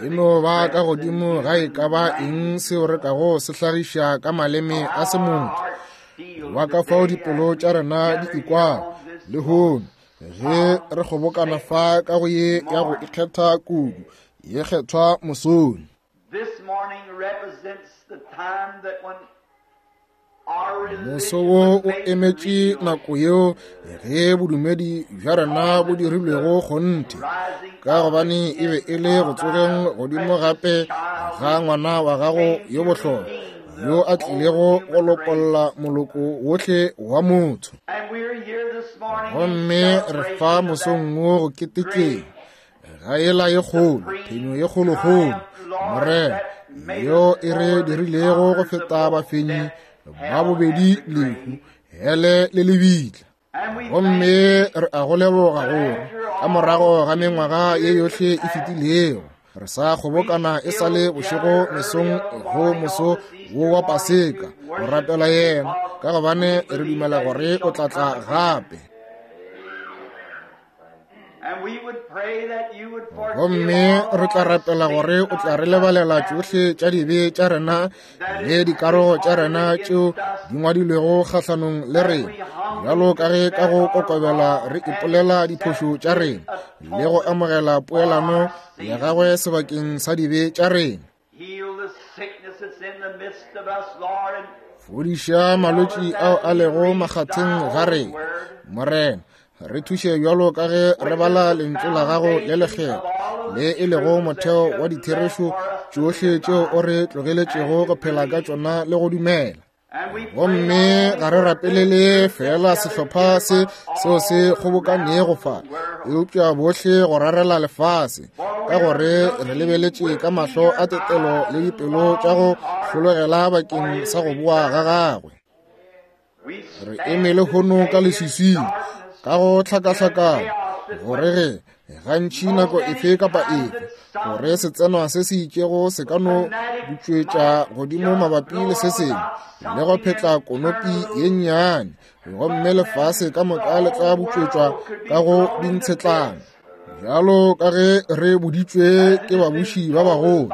E no ba ka godimo ga e ka ba eng seo re kago se hlagiša ka maleme a semotho, wa ka fao dipelo tša rena di ikwago lehono ge re kgobokana fa ka go ye ya go ikgetha kudu ye kgethwa mosong. Moso wo o emetše nako yeo ge bodumedi bja rena bo dirilwego kgonthe, ka gobane e be e le go tsogeng godimo gape ga ngwana wa gago yo bohlokwa yo a tlilego go lopolla moloko wohle wa motho. Gomme re fa mosong wo go ketekeng ga ela ye kgolo, phenyo ye kgolokgolo, Morena, yo e re dirilego go feta bafenyi ba bobedi lehu, hele le lebitla. Gomme re a go leboga gore ka morago ga mengwaga ye yohle e fetilego re sa kgobokana e sa le bošego mesong go moso wo wa Paseka go rapela yena, ka gobane re dumela gore o tla tla gape. Gomme re tla rapela gore o tla re lebalela tšohle tša dibe tša rena le dikarogo tša rena tšeo di ngwadilwego kgahlanong le rena, bjalo ka ge ka go kokobela re ipolela diphošo tša rena le go amogela poelano ya gagwe sebakeng sa dibe tša rena. Fodiša malwetši ao a lego makgatheng ga rena, Morena. Re thuše bjalo ka ge re bala lentšu la gago le lekgethwa, le e lego motheo wa ditherešo tšohle tšeo o re tlogeletšego go phela ka tšona le go dumela. Gomme ga re rapelele fela sehlopha se seo se kgobokanego fa, eupša bohle go rarela lefase, ka gore re lebeletše ka mahlo a tetelo le dipelo tša go hlologela bakeng sa go boa ga gagwe. Re eme lehono ka leswiswing, ka go hlakahlakana, gore ge gantši nako efe kapa efe gore setsenwa se se itšego se ka no butšwetša godimo mabapi le se sengwe le go phetla konopi ye nnyane, gomme lefase ka moka le tla butšwetšwa ka go dintshetlana. Bjalo ka ge re boditšwe ke babuši ba bagolo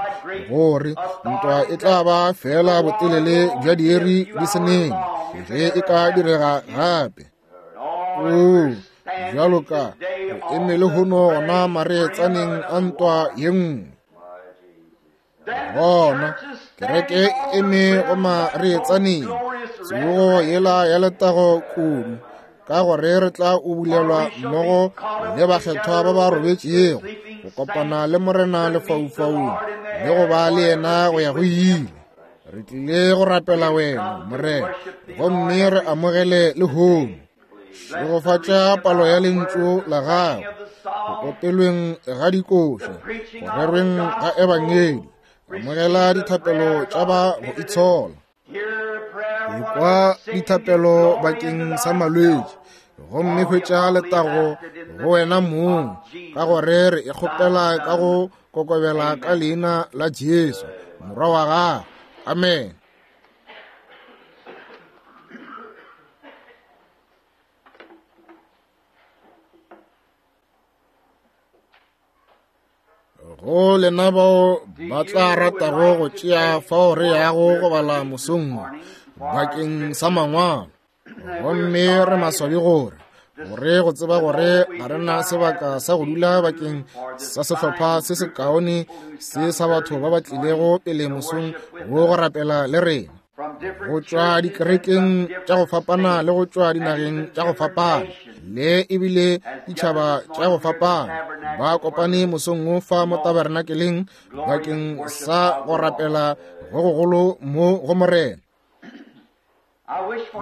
gore ntwa e tla ba fela botelele bja diiri di se nene ge e ka direga gape. Oo, bjalo ka re eme lehono gona mareetsaneng a ntwa ye nngwe. Gona kereke e eme go mareetsaneng tsogo yela ya letago kudu, ka gore re tla ubulelwa mmogo le bakgethwa ba ba robetšego go kopana le Morena lefaufaung le go ba le yena go ya go ile. Re tlile go rapela wena, Morena, gomme re amogele lehono. Šegofatša palo ya lentšu la gago, go opelweng ga dikoša, go rerweng ga ebangedi. Amogela dithapelo tša ba go itshola. Ekwa dithapelo bakeng sa malwetši, gomme hwetša letago go wena mong, ka gore re e kgopela ka go kokobela ka leina la Jesu, Morwa wa gago. Amen. Go lena bao ba tla ratago go tšea fao re yago go bala mosong wo bakeng sa mangwalo, gomme re maswabi gore gore go tseba gore ga re na sebaka sa go dula bakeng sa sehlopha se sekaone se sa batho ba ba tlilego pele mosong wo go rapela le rena, go tšwa dikerekeng tša go fapana le go tšwa dinageng tša go fapana le ebile ditšhaba tša go fapana, ba kopane mosong wo fa mo tabernakeleng bakeng sa go rapela go gogolo mo go Morena.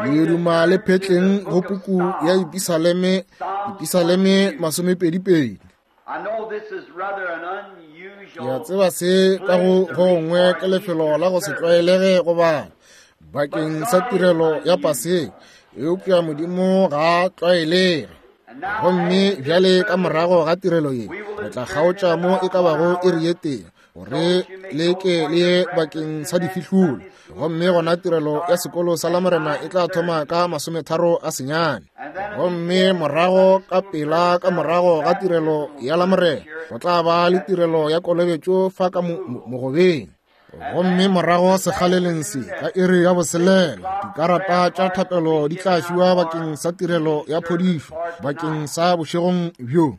Le duma le phetleng go puku ya Dipisaleme, Dipisaleme masomepedipedi. Ke a tseba se ka go gongwe ke lefelo la go se tlwaelege go bala bakeng sa tirelo ya Paseka, eupša Modimo ga a tlwaelege. Gomme bjale ka morago ga tirelo ye, re tla kgaotša mo e ka bago iri ye tee. gore le ke le ye bakeng sa difihlolo. Gomme gona tirelo ya sekolo sa Lamorena e tla thoma ka 39. Gomme morago ka pela ka morago ga tirelo ya Lamorena go tla ba le tirelo ya kolobetšo fa ka mogobeng. Gomme morago sekgaleleng se ka iri ya 6 dikarata tša thapelo di tla fiwa bakeng sa tirelo ya phodišo bakeng sa bošegong bjo.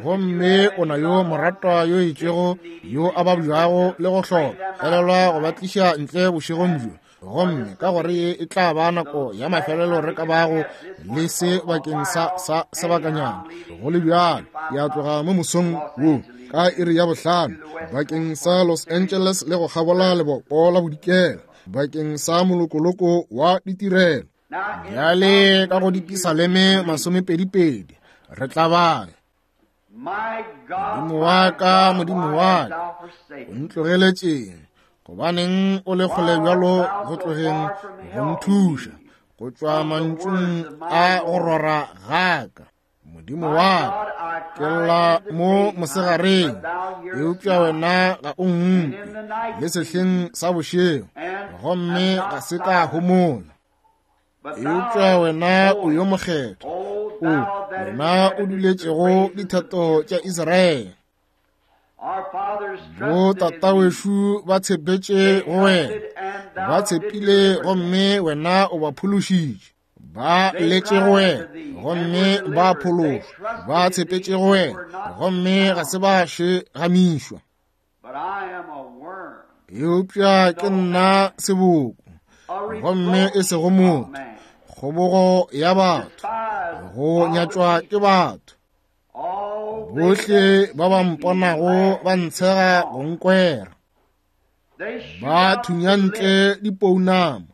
Gomme o na yo moratwa yo itšego yo a babjago le go hloka, elelwa go ba tliša ntle bošegong bjo. Gomme ka gore ye e tla ba nako ya mafelelo re ka bago le se bakeng sa sa sebakanyana, go le bjalo ya tloga mo mosong wo ka iri ya 5 bakeng sa Los Angeles le go kgabola lebopo la bodikela bakeng sa molokoloko wa ditirelo. Bjale ka go dipisaleme 22 re tla bala. Modimo wa ka, Modimo wa ka, o ntlogeletšeng? Gobaneng o le kgole bjalo go tlogeng go nthuša, go tšwa mantšung a go rora ga ka? Modimo wa ka, ke lla mo mosegareng, eupša wena ga o nkwe, le sehleng sa bošego, gomme ga se ka homola. Eupša wena o yo mokgethwa, o wena o duletšego dithato tša Israele. Bo tatawešu ba tshepetše go wena, ba tshepile gomme wena o ba phološitše. Ba letše go wena gomme ba phološwa, ba tshepetše go wena gomme ga se ba šegamišwa. Eupša ke nna seboko gomme e sego motho, kgobogo ya batho, go nyatšwa ke batho. Bohle ba ba mponago ba ntshega go nkwera, ba thunya ntle dipounama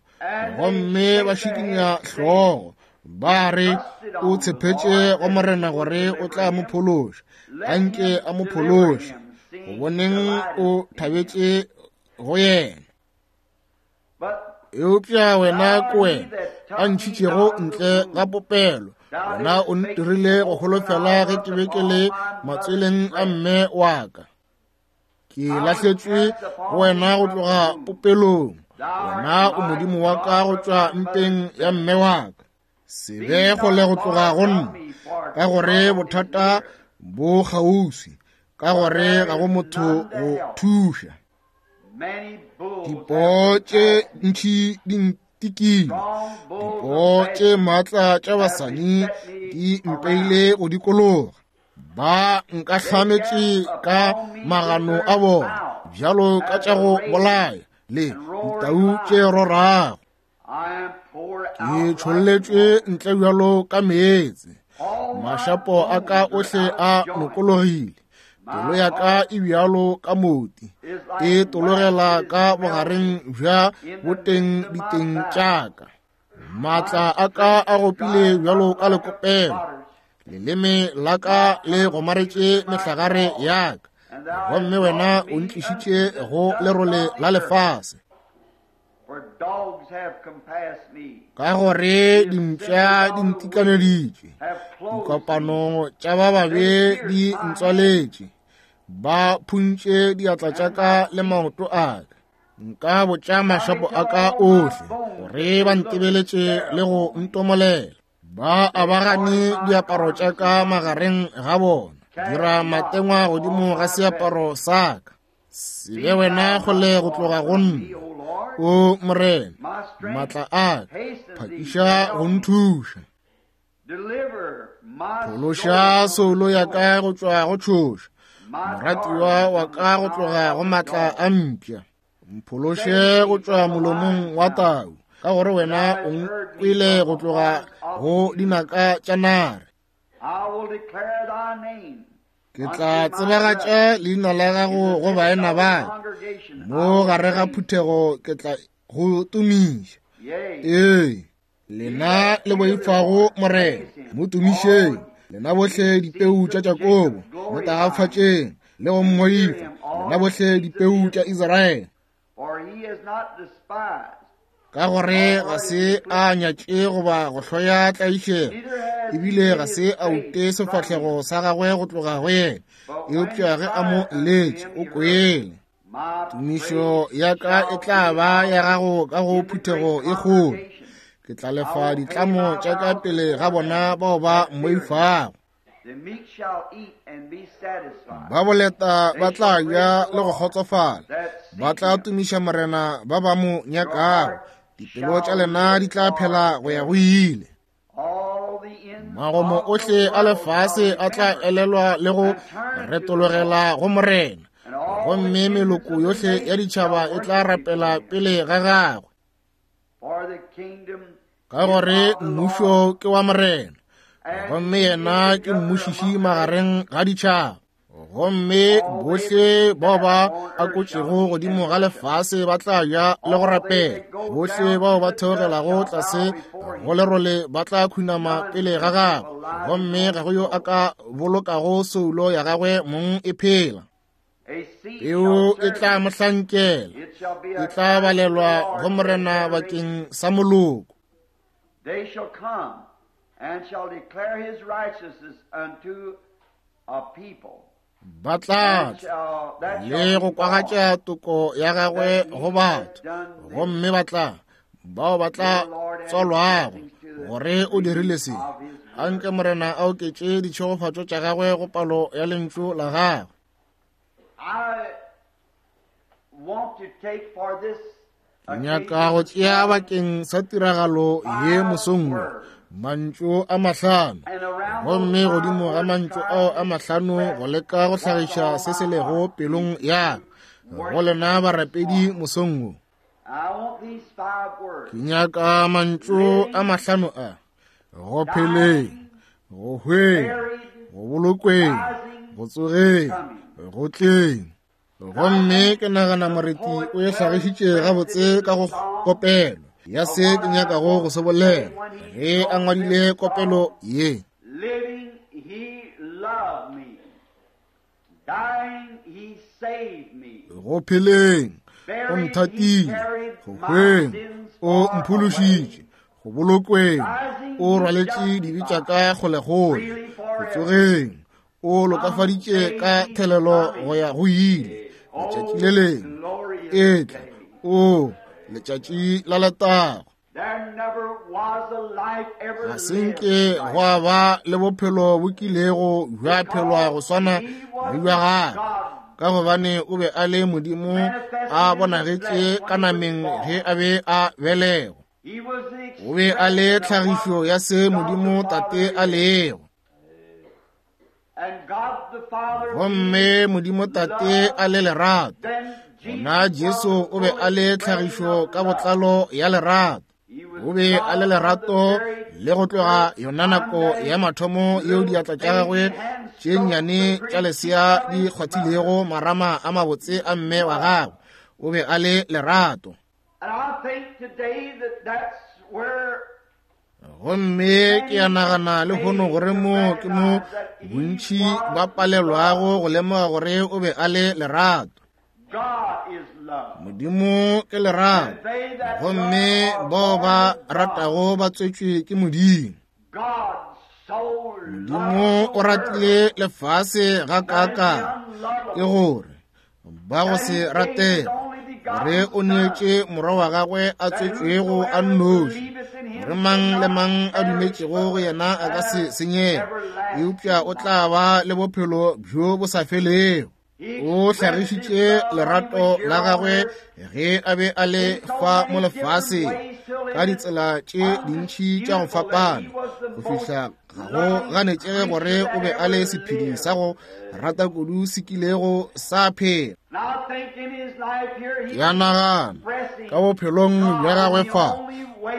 gomme ba šikinya hlogo, ba re o tshepetše go Morena gore o tla mo phološa, anke a mo phološe, go boneng o thabetše go yena. Eupša wena ke wena a ntšhitšego ntle ga popelo, wena o ntirile go holofela ge ke be ke le matsweleng a mme wa ka. Ke lahletšwe go wena go tloga popelong, wena o Modimo wa ka go tšwa mpeng ya mme wa ka. Se be kgole go tloga go nna, ka gore bothata bo kgauswi, ka gore ga go motho go thuša. Dipoo tše ntši di ntikile, dipoo tše maatla tša basadi di mpeile go dikologa. Ba nkahlametše ka magano a bona bjalo ka tša go bolaya le ditau tše rorago. Ke tšholletšwe ntle bjalo ka meetse, mašapo a ka ohle a lokologile, pelo ya ka e bjalo ka moti, e tologela ka bogareng bja boteng diteng tša ka. Maatla a ka a gopile bjalo ka lekopelo, leleme la ka le gomaretše mehlagare ya ka, gomme wena o ntlišitše go lerole la lefase. Ka gore dimpša di ntikaneditše, dikopano tša ba babe di ntswaletše, ba phuntše diatla tša ka le maoto a ka. Nka botša mašapo a ka ohle gore ba ntebeletše le go ntomolela. Ba abagane diaparo tša ka magareng ga bona, dira matengwa godimo ga seaparo sa ka. Se be wena kgole go tloga go nna, o Morena, maatla a ka, phakiša go nthuša. Phološa soulo ya ka go tšwa go tšhoša, moratiwa wa ka go tloga go maatla a mpša. Mphološe go tšwa molomong wa tau, ka gore wena o nkwele go tloga go dinaka tša nare. Ke tla tsebagatša leina la gago go baena ba mo gare ga phuthego, ke tla go tumiša. Ee, lena le boifago Morena, mo tumišeng, lena bohle dipeu tša Jakobo, mo tagafatšeng le go mmoifa, lena bohle dipeu tša Israele. Ka gore ga se a nyatše goba go hloya tlaišego, ebile ga se a ute sefahlego sa gagwe go tloga go yena, eupša ge a mo letše o kwele. Tumišo ya ka e tla ba ya gago ka go phuthego e kgolo. Ke tla lefa ditlamo tša ka pele ga bona bao ba mmoifago. Ba boleta ba tla ja le go kgotsofala, ba tla tumiša Morena ba ba mo nyakago. Dipelo tša lena di tla phela go ya go ile. Magomo ohle a lefase a tla elelwa le go retologela go Morena, gomme meloko yohle ya ditšhaba e tla rapela pele ga gagwe. Ka gore mmušo ke wa Morena, gomme yena ke mmušiši magareng ga ditšhaba. Gomme bohle bao ba akotšego godimo ga lefase ba tla ja le go rapela. Bohle bao ba theogelago tlase go lerole ba tla khunama pele ga gagwe, gomme ga go yo a ka bolokago soulo ya gagwe mong e phela. Peu e tla mo hlankela, e tla balelwa go Morena bakeng sa moloko. They shall come and shall declare his righteousness unto a people. Ba tla tla le go kwagatša toko ya gagwe go batho, gomme ba tla bao ba tla tswalwago gore o dirile se. Anke Morena a oketše ditšhegofatšo tša gagwe go palo ya lentšu la gagwe. Ke nyaka go tšea bakeng sa tiragalo ye mosong wo mantšu a mahlano, gomme godimo ga mantšu ao a mahlano go leka go hlagiša se se lego pelong ya go lena barapedi mosong wo. Ke nyaka mantšu a mahlano a: go pheleng, go hweng, go bolokweng, go tsogeng, go tleng. Gomme ke nagana moreti o e hlagišitše gabotse ka go kopelo ya se ke nyakago go se bolela ge a ngwadile kopelo ye. Living, he loved me. Dying, he saved me. Go pheleng, o nthatile. Go hweng, o mphološitše. Go bolokweng, o rwaletše dibe tša ka kgolekgole. Go tsogeng, o lokafaditše ka thelelo go ya go ile. Letšatši le lengwe e tla, o letšatši la letago. Ga se nke gwa ba le bophelo bo kilego bja phelwa go swana le bja gagwe, ka gobane o be a le Modimo a bonagetše ka nameng ge a be a belegwa. O be a le tlhagišo ya se Modimo Tate a lego. Gomme Modimo Tate a le lerato, gona Jesu o be a le tlhagišo ka botlalo ya lerato. O be a le lerato le go tloga yona nako ya mathomo yeo diatla tša gagwe tše nnyane tša lesea di kgwathilego marama a mabotse a mme wa gagwe. O be a le lerato. Gomme ke a nagana lehono gore mo ke mo bontši ba palelwago go lemoga gore o be a le lerato. Modimo ke lerato, gomme bao ba ratago ba tswetšwe ke Modimo. Modimo o ratile lefase gakaakang, ke gore ba go se ratege, gore o neetše morwa wa gagwe a tswetšwego a nnoši, gore mang le mang a dumetšego go yena a ka se senyege, eupša o tla ba le bophelo bjo bo sa felego. O hlagišitše lerato la gagwe ge a be a le fa mo lefaseng ka ditsela tše dintši tša go fapana, go fihla ga go ganetšege gore o be a le sephedi sa go rata kudu se kilego sa phela. Ke a nagana ka bophelong bja gagwe fa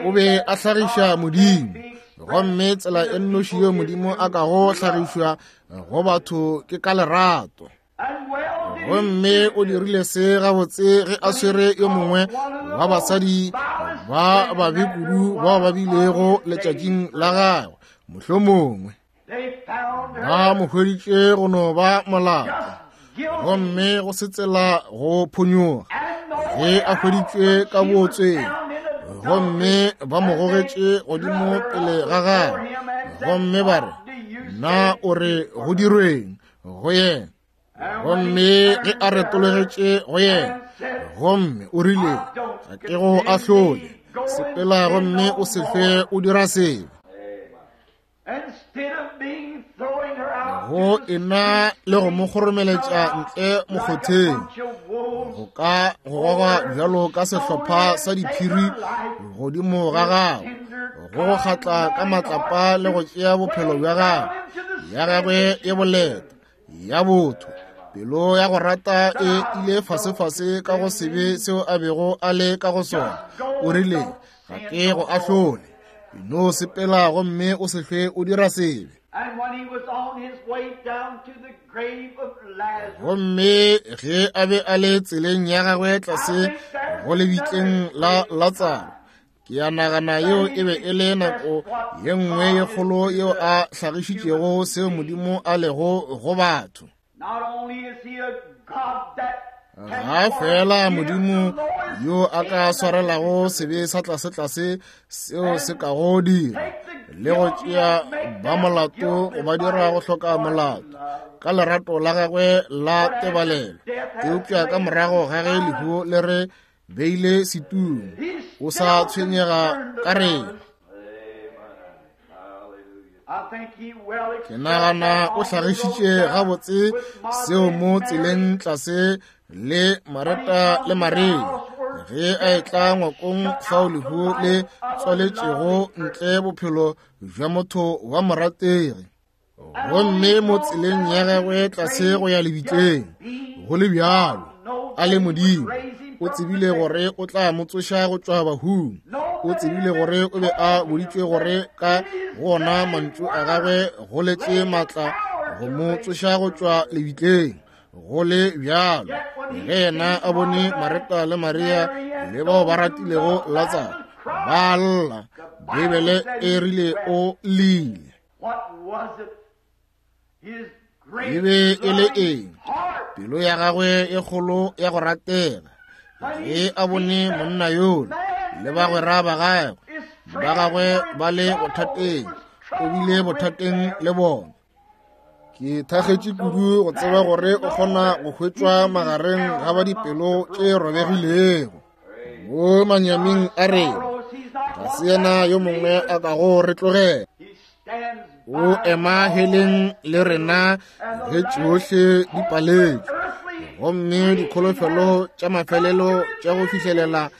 o be a hlagiša Modimo, gomme tsela e nnoši yeo Modimo a kago hlagišwa go batho ke ka lerato. Gomme o dirile se gabotse ge a swere yo mongwe wa basadi ba babe kudu bao ba bilego letšatšing la gagwe, mohlomongwe ba mo hweditše go no ba molato, gomme go se tsela go phonyoga ge a hweditšwe ka bootsweng, gomme ba mo gogetše godimo pele ga gagwe, gomme ba re, Na o re go dirweng go yena? Gomme ge a retologetše go yena, gomme o rile, Ga ke go ahlole, sepela gomme o se hlwe o dira sebe. Go ena le go mo kgoromeletša ntle mokgotheng, go ka go goga bjalo ka sehlopha sa diphiri godimo ga gago, go go kgatla ka matlapa le go tšea bophelo bja gago, ya gagwe e boleta ya botho, pelo ya go rata e ile fasefase ka go sebe seo a bego a le ka go sona. O rile, Ga ke go ahlole, no sepela gomme o se hlwe o dira sebe. Gomme ge a be a le tseleng ya gagwe tlase go lebitleng la Latsaro, ke a nagana yeo e be e le nako ye nngwe ye kgolo yeo a hlagišitšego seo Modimo a lego go batho. Ga fela Modimo yo a ka swarelago sebe sa tlasetlase seo se kago dira le go tšea ba molato go ba dira go hloka molato ka lerato la gagwe la tebalelo, eupša ka morago ga ge lehu le re beile setung, o sa tshwenyega ka rena. Ke nagana o hlagišitše gabotse seo mo tseleng tlase le Mareta le Maria ge a etla ngwakong fao lehu le tswaletšego ntle bophelo bja motho wa morategi. Gomme mo tseleng ya gagwe tlase go ya lebitleng, go le bjalo a le Modimo, o tsebile gore o tla mo tsoša go tšwa bahung. O tsebile gore o be a boditšwe gore ka go ona mantšu a gagwe go letše maatla go mo tsoša go tšwa lebitleng. Go le bjalo ge yena a bone Mareta le Maria le bao ba ratilego Latsaro ba lla, Beibele e rile o llile. E be e le eng? Pelo ya gagwe e kgolo ya go ratega ge a bone monna yola le bagwera ba gagwe ba gagwe ba le bothateng, o bile bothateng le bona. Ke thakgetše kudu go tseba gore o kgona go hwetšwa magareng ga ba dipelo tše robegilego mo manyaming a rena. Ga se yena yo mongwe a kago re tlogela. O ema heleng le rena ge tšohle di paletšwe, gomme dikholofelo tša mafelelo tša go fihlelela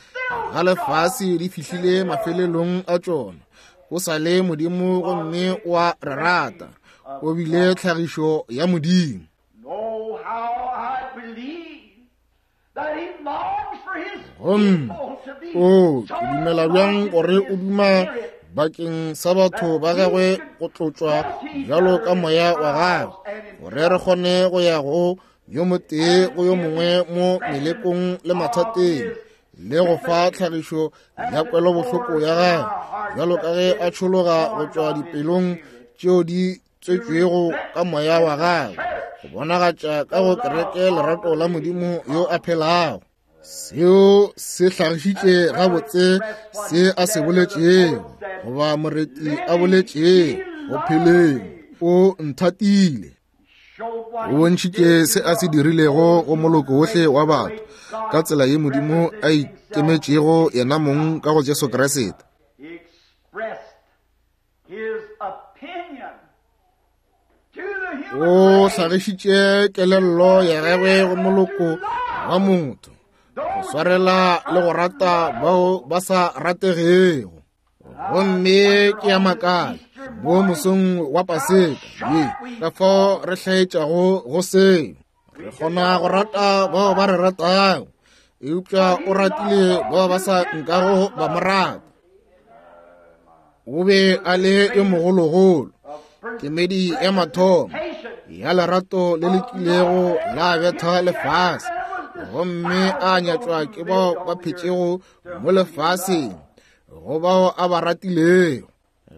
ga lefase di fihlile mafelelong a tšona. O sa le Modimo gomme o a re rata. O bile tlhagišo ya Modimo. Gomme o ke dumela bjang gore o duma bakeng sa batho ba gagwe go tlotšwa bjalo ka moya wa gagwe, gore re kgone go ya go yo motee go yo mongwe mo melekong le mathateng, le go fa tlhagišo ya kwelobohloko ya gagwe bjalo ka ge a tšhologa go tšwa dipelong tšeo di tswetšwego ka moya wa gagwe, go bonagatša ka go kereke lerato la Modimo yo a phelago. Seo se hlagišitše gabotse se a se boletšego, goba moreti a boletšego go pheleng, o nthatile. O bontšhitše se a se dirilego go moloko wohle wa batho ka tsela ye Modimo a ikemetšego yena mong ka go Jesu Kriste. O hlagišitše kelello ya gagwe go moloko wa motho go swarela le go rata bao ba sa rategego. Gomme ke ya makala mo mosong wa Paseka ye, ka fao re hlaetšago go seo. Re kgona go rata bao ba re ratago, eupša o ratile bao ba sa nkago ba mo rata. O be a le yo mogologolo, kemedi ya mathomo ya lerato le le kilego la betha lefase, gomme a nyatšwa ke bao ba phetšego mo lefaseng go bao a ba ratilego.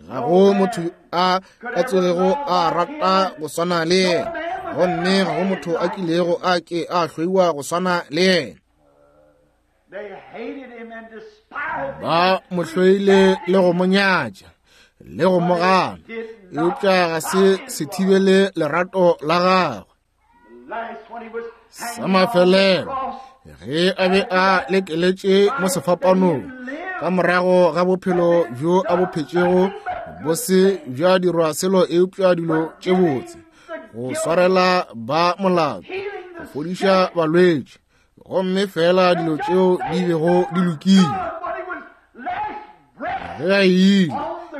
Ga go motho a ka tsogego a rata go swana le yena, gomme ga go motho a kilego a ke a hloiwa go swana le yena. Ba mo hloile le go mo nyatša le go mo gana, eupša ga se se thibele lerato la gagwe. Sa mafelelo, ge a be a lekeletše mo sefapanong, ka morago ga bophelo bjo a bo phetšego bo se bja dirwa selo eupša dilo tše botse, go swarela ba molato, go fodiša balwetši, gomme fela dilo tšeo di bego di lokile. Ge a ile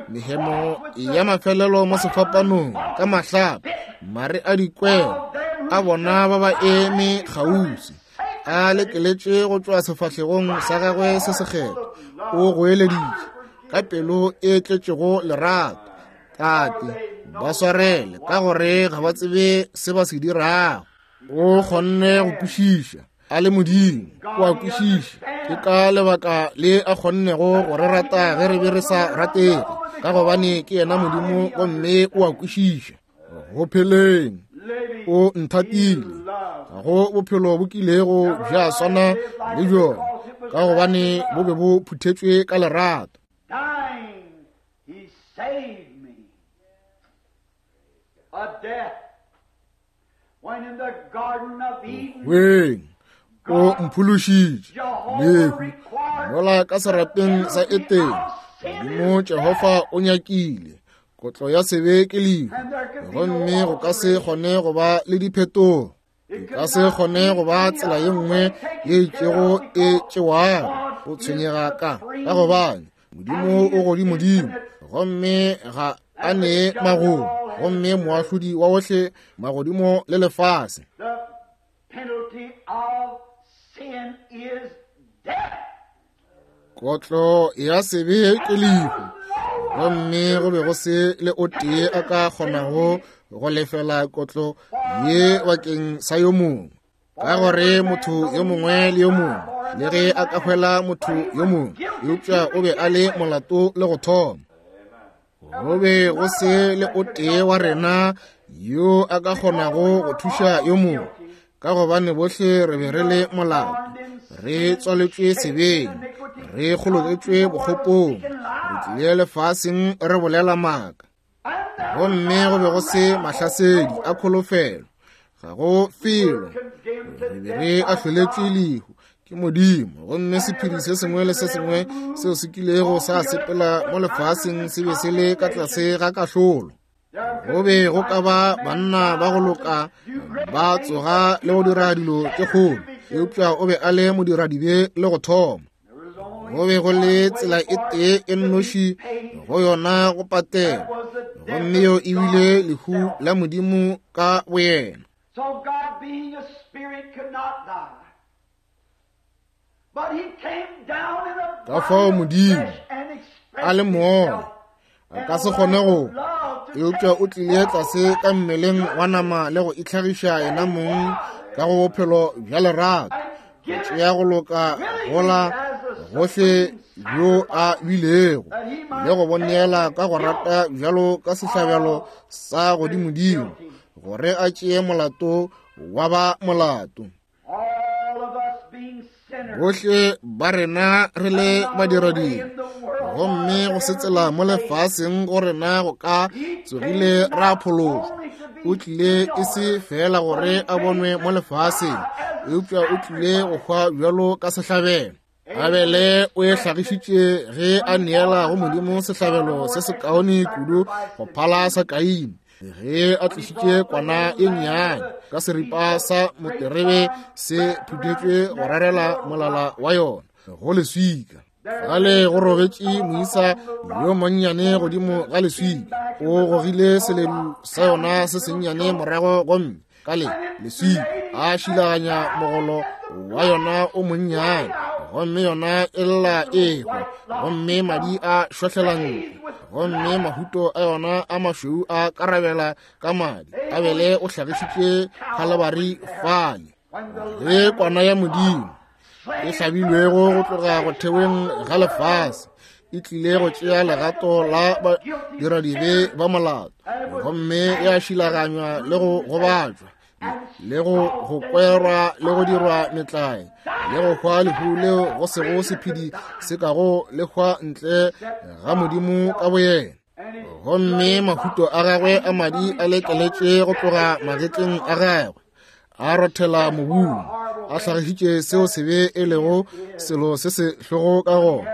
mehemo ya mafelelo mo sefapanong ka mahlapa, mare a dikwelo a bona ba ba eme kgauswi, a lekeletše go tšwa sefahlegong sa gagwe se sekgethwa, o goeleditše ka pelo e tletšego lerato, Tate, ba swarele, ka gore ga ba tsebe se ba se dirago. O kgonne go kwešiša a le Modimo, o a kwešiša. Ke ka lebaka le a kgonnego go re rata ge re be re sa ratege, ka gobane ke yena Modimo gomme o a kwešiša. Go pheleng o nthatile, ga go bophelo bo kilego bja swana le bjona, ka gobane bo be bo phuthetšwe ka lerato. He saved me. A death. When in the Garden of Eden, Weng, o mphološitše lehu mola ka serapeng sa Etene. Modimo Jehofa o nyakile kotlo ya sebe ke lehu, gomme go ka se kgone go ba le diphetogo. E ka se kgone go ba tsela ye nngwe ye itšego e tšewago go tshwenyega ka ka gobane Modimo o godimodimo gomme ga a nee magomo, gomme moahlodi wa ohle magodimo le lefase. The penalty of sin is death. Kotlo ya sebe ke lehu, gomme go be go se le o tee a ka kgonago go lefela kotlo ye bakeng sa yo mongwe, ka gore motho yo mongwe le yo mongwe le ge a ka hwela motho yo mongwe, eupša o be a le molato le go thoma. Go be go se le o tee wa rena yo a ka kgonago go thuša yo mongwe, ka gobane bohle re be re le molato, re tswaletšwe sebeng, re kgoloketšwe bokgopong, re tlile lefaseng re bolela maaka, gomme go be go se mahlasedi a kholofelo, ga go felo, re be re ahloletšwe lehu ke Modimo, gomme sephiri se sengwe le se sengwe seo se kilego sa sepela mo lefaseng se be se le ka tlase ga kahlolo. Go be go ka ba banna ba go loka ba tsoga le go dira dilo tše kgolo, eupša o be a le modiradibe le go thoma. Go be go le tsela e tee e nnoši go yona go patela, gomme yo e bile lehu la Modimo ka boyena. So God being a spirit could not die. But he came down in a Ka fao Modimo a le moya a ka se kgone go, eupša o tlile tlase ka mmeleng wa nama le go itlhagiša yena mong ka go bophelo bja lerato, go tšea go loka gola gohle bjo a bilego le go bo neela ka go rata bjalo ka sehlabelo sa godimodimo, gore a tšee molato wa ba molato. Bohle ba rena re le badiradibe, gomme go se tsela mo lefaseng go rena go ka tsogile ra phološwa. O tlile e se feela gore a bonwe mo lefaseng, eupša o tlile go hwa bjalo ka sehlabelo. Abele o e hlagišitše ge a neela go Modimo sehlabelo se sekaone kudu go phala sa Kaine, ge a tlišitše kwana e nnyane ka seripa sa moterebe se phuthetšwe go rarela molala wa yona go leswika. Fale go robetše moisa yo monnyane godimo ga leswika, o gogile seledu sa yona se sennyane morago gomme ka le leswika a šilaganya mogolo wa yona o monnyane, gomme yona e lla e hwa, gomme madi a šwahlela ntle, gomme mahuto a yona a mašweu a karabela ka madi. Abele o hlagišitše Khalabari fale, ge kwana ya Modimo e hlabilwego go tloga go theweng ga lefase e tlile go tšea legato la badiradibe ba molato, gomme ya šilaganywa le go gobatšwa le go kwerwa le go dirwa metlae le go hwa lehu leo go sego sephedi se kago le hwa ntle ga Modimo ka boyena. Gomme mahuto a gagwe a madi a lekeletše go tloga magetleng a gagwe, a rothela mobung, a hlagišitše seo sebe e lego selo se se hlogo ka gona,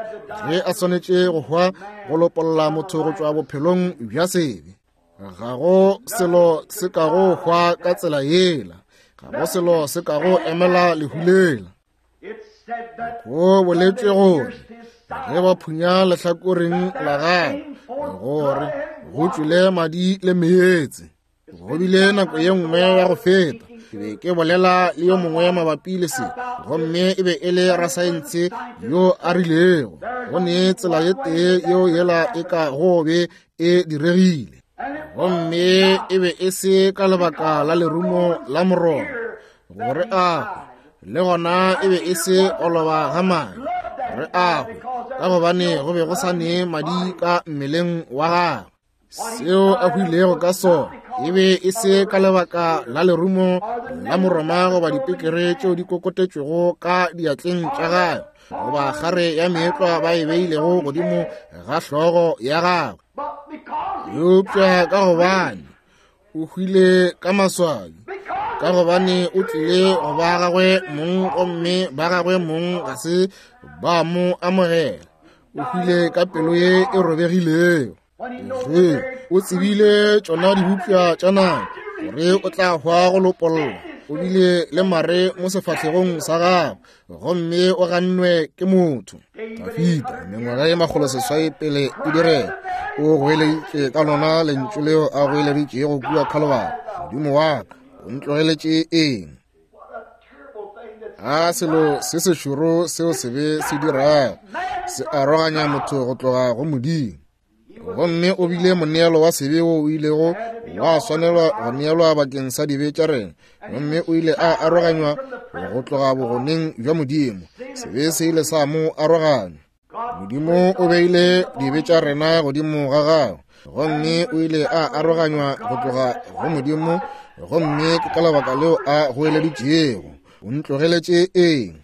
ge a swanetše go hwa go lopolla motho go tšwa bophelong bja sebe. Ga go selo se ka go hwa ka tsela yela, ga go selo se ka go emela lehu lela. Go boletšwe gore ge ba phunya lehlakoreng la gagwe gore go tšwele madi le meetse. Go bile nako ye nngwe ya go feta ke be ke bolela le yo mongwe mabapi le se, gomme e be e le rasaense yo a rilego go ne tsela ye tee yeo yela e ka go be e diregile, gomme e be e se ka lebaka la lerumo la morona gore a hwe, le gona e be e se go loba ga madi gore a hwe, ka gobane go be go sa ne madi ka mmeleng wa gagwe. Seo a hwilego ka sona e be e se ka lebaka la lerumo la moroma goba dipekere tšeo di kokotetšwego ka diatleng tša gagwe goba kgare ya meetlwa ba e beilego godimo ga hlogo ya gagwe, eupša ka gobane o hwile ka maswabi, ka gobane o tlile go ba gagwe mong gomme ba gagwe mong ga se ba mo amogela. O hwile ka pelo ye e robegilego. Ge o tsebile tšona dibopša tša nako gore o tla hwa go lopolla, o bile le mare mo sefahlegong sa gagwe gomme o gannwe ke motho. Dafida, mengwaga ye 800 pele e direga, o goeleditše ka lona lentšu leo a goeleditšego kua Khalobara, Modimo wa ka, o ntlogeletše eng? A selo se sešoro seo sebe se dirago, se aroganya motho go tloga go Modimo. Gomme o bile moneelo wa sebe wo o ilego wa swanelwa go neelwa bakeng sa dibe tša rena, gomme o ile a aroganywa go tloga bogoneng bja Modimo. Sebe se ile sa mo aroganya. Modimo o beile dibe tša rena godimo ga gagwe, gomme o ile a aroganywa go tloga go Modimo, gomme ke ka lebaka leo a goeleditšego, O ntlogeletše eng?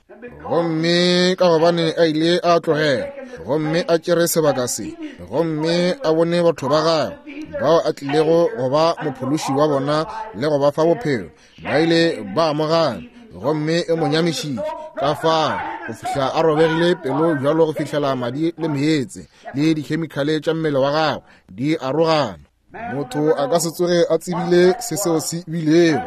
Gomme ka gobane a ile a tlogela gomme a tšere sebaka se, gomme a bone batho ba gagwe bao a tlilego go ba mophološi wa bona le go ba fa bophelo, ba ile ba amogana, gomme e mo nyamišitše ka fao go fihla a robegile pelo bjalo go fihlela madi le meetse le dikhemikhale tša mmele wa gagwe di arogana. Motho a ka se tsoge a tsebile se seo se bilego.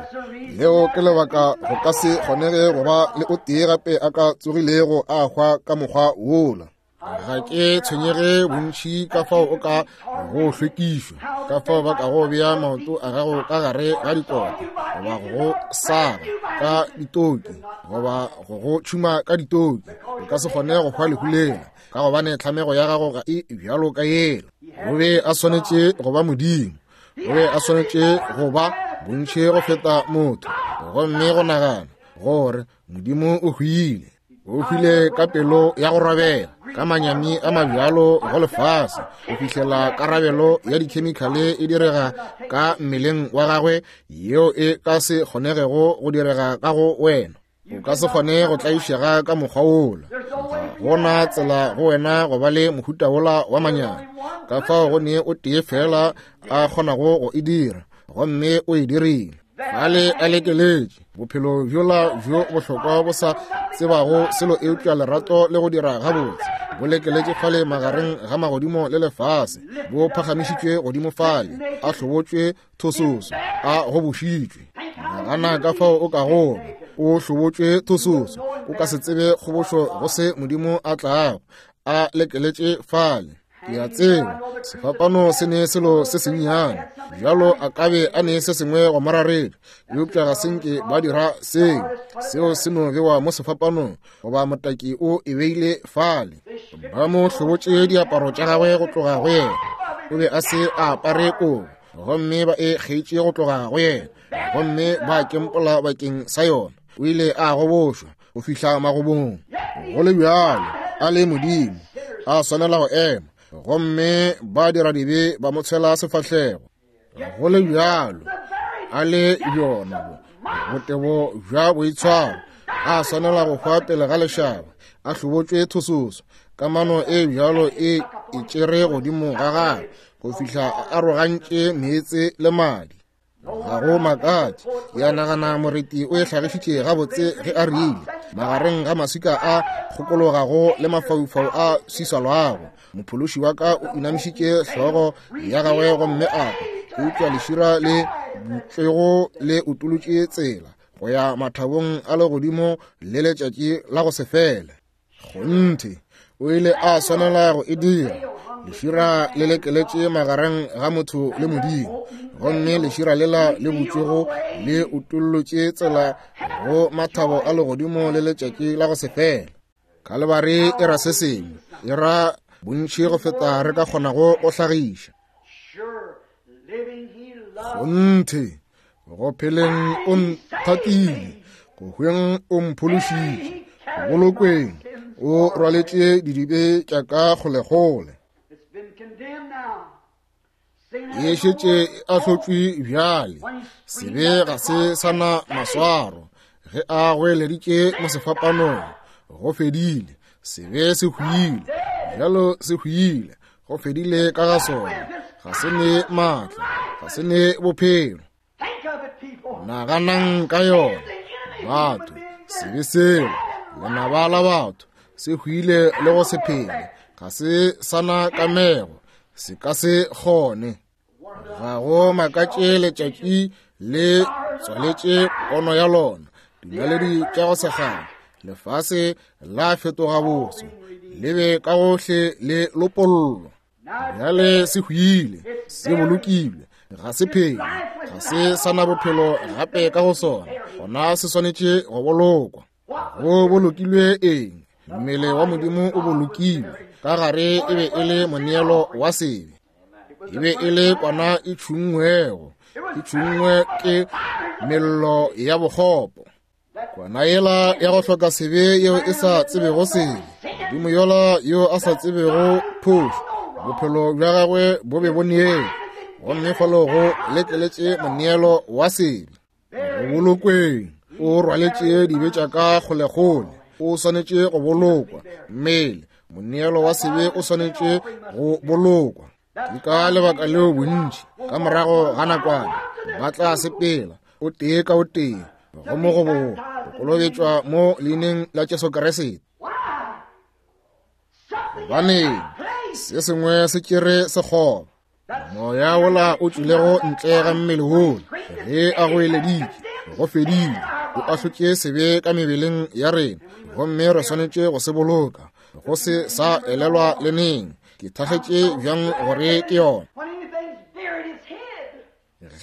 Leo ke lebaka go ka se kgonege go ba le o tee gape a ka tsogilego a hwa ka mokgwa wola. Ga ke tshwenyege bontši ka fao o ka go hlwekišwa, ka fao ba ka go bea maoto a gago ka gare ga dikota, goba go go saga ka ditoki, goba go go tšhuma ka ditoki, o ka se kgone go hwa lehu lela, ka gobane tlhamego ya gago ga e bjalo ka yela. O be a swanetše go ba Modimo, o be a swanetše go ba bontši go feta motho, gomme go nagana gore Modimo o hwile, o hwile ka pelo ya go robela, ka manyami a mabjalo go lefase, go fihlela karabelo ya dikhemikhale e direga ka mmeleng wa gagwe yeo e ka se kgonegego go direga ka go wena. O ka se kgone go tlaišega ka mokgwa wola. Ga go na tsela go wena go ba le mohuta wola wa manyami. Ka fao go ne o tee fela a kgonago go e dira, gomme o e dirile. Fale a lekeletše bophelo bjola bjo bohlokwa bo sa tsebago selo eupša lerato le go dira gabotse, bo lekeletše fale magareng ga magodimo le lefase, bo phagamišitšwe godimo fale, a hlobotšwe thososo, a gobošitšwe. Nagana ka fao o ka goba o hlobotšwe thososo, o ka se tsebe kgobošo go se Modimo a tlago a lekeletše fale. Ke a tseba sefapano se ne selo se sennyane bjalo, a ka be a ne se sengwe go moraretša, eupša ga se nke ba dira seo. Seo se no bewa mo sefapanong, goba motaki o e beile fale. Ba mo hlobotše diaparo tša gagwe go tloga go yena, o be a se a apare kobo, gomme ba e kgeitše go tloga go yena, gomme ba kempola bakeng sa yona. O ile a gobošwa go fihla magobong. Go le bjalo, a le Modimo, a swanela go ema, gomme ba dira dibe ba mo tshwela sefahlego. Go le bjalo, a le bjona botebo bja boitshwaro, a swanela go hwa pele ga lešaba, a hlobotšwe thososo. Kamano e bjalo e e tšere godimo ga gagwe go fihla a arogantše meetse le madi. Ga go makatše, ke a nagana moreti o e hlagišitše gabotse ge a rile, magareng ga maswika a kgokologago le mafaufau a swiswalwago, mophološi wa ka o inamišitše hlogo ya gagwe gomme a kwa, eupša lešira le butšwego le utolotše tsela go ya mathabong a legodimo le letšatši la go se fele. Kgonthe, o ile a swanela go e dira. Lešira le lekeletše magareng ga motho le Modimo, gomme lešira lela le butšwego le utollotše tsela go mathabo a legodimo le letšatši la go se fele. Kalebare e ra se sengwe, e ra bontši go feta re ka kgonago go hlagiša. Kgonthe, go pheleng o nthatile, go hweng o mphološitše, go bolokweng o rwaletše didibe tša ka kgolekgole. E šetše e ahlotšwe bjale, sebe ga se sa na maswaro. Ge a goeleditše mo sefapanong, go fedile, sebe se hwile, bjalo se hwile, go fedile ka ga sona, ga se ne maatla, ga se ne bophelo. Naganang ka yona, batho, sebe seo, lenaba la batho, se hwile le go se phele, ga se sa na kamego, se ka se kgone. Ga go makatše letšatši le tswaletše pono ya lona, dinaledi tša go segana, lefase la fetoga boso, le be ka gohle le lopollwa. Bjale se hwile, se bolokilwe, ga se phele, ga se sa na bophelo gape ka go sona, gona se swanetše go bolokwa. Go bolokilwe eng? Mmele wa Modimo o bolokilwe, ka gare e be e le moneelo wa sebe. E be e le kwana e tšhunngwego, e tšhunngwe ke mello ya bokgopo. Kwana yela ya go hloka sebe yeo e sa tsebego sebe, Modimo yola yo a sa tsebego phošo, bophelo bja gagwe bo be bo neelwe, gomme falo go lekeletše moneelo wa sebe. Go bolokweng, o rwaletše dibe tša ka kgolekgole, o swanetše go bolokwa. Mmele, moneelo wa sebe o swanetše go bolokwa. Ke ka lebaka leo bontši ka morago ga nakwana ba tla sepela o tee ka o tee go mo go go kolobetšwa mo leineng la Jesu Kriste. Gobaneng se sengwe se tšere sekgoba, moya wola o tšwilego ntle ga mmele wola ge a goeleditše go fedile, o ahlotše sebe ka mebeleng ya rena, gomme re swanetše go se boloka go se sa elelwa le neng. Ke thakgetše bjang gore ke yona.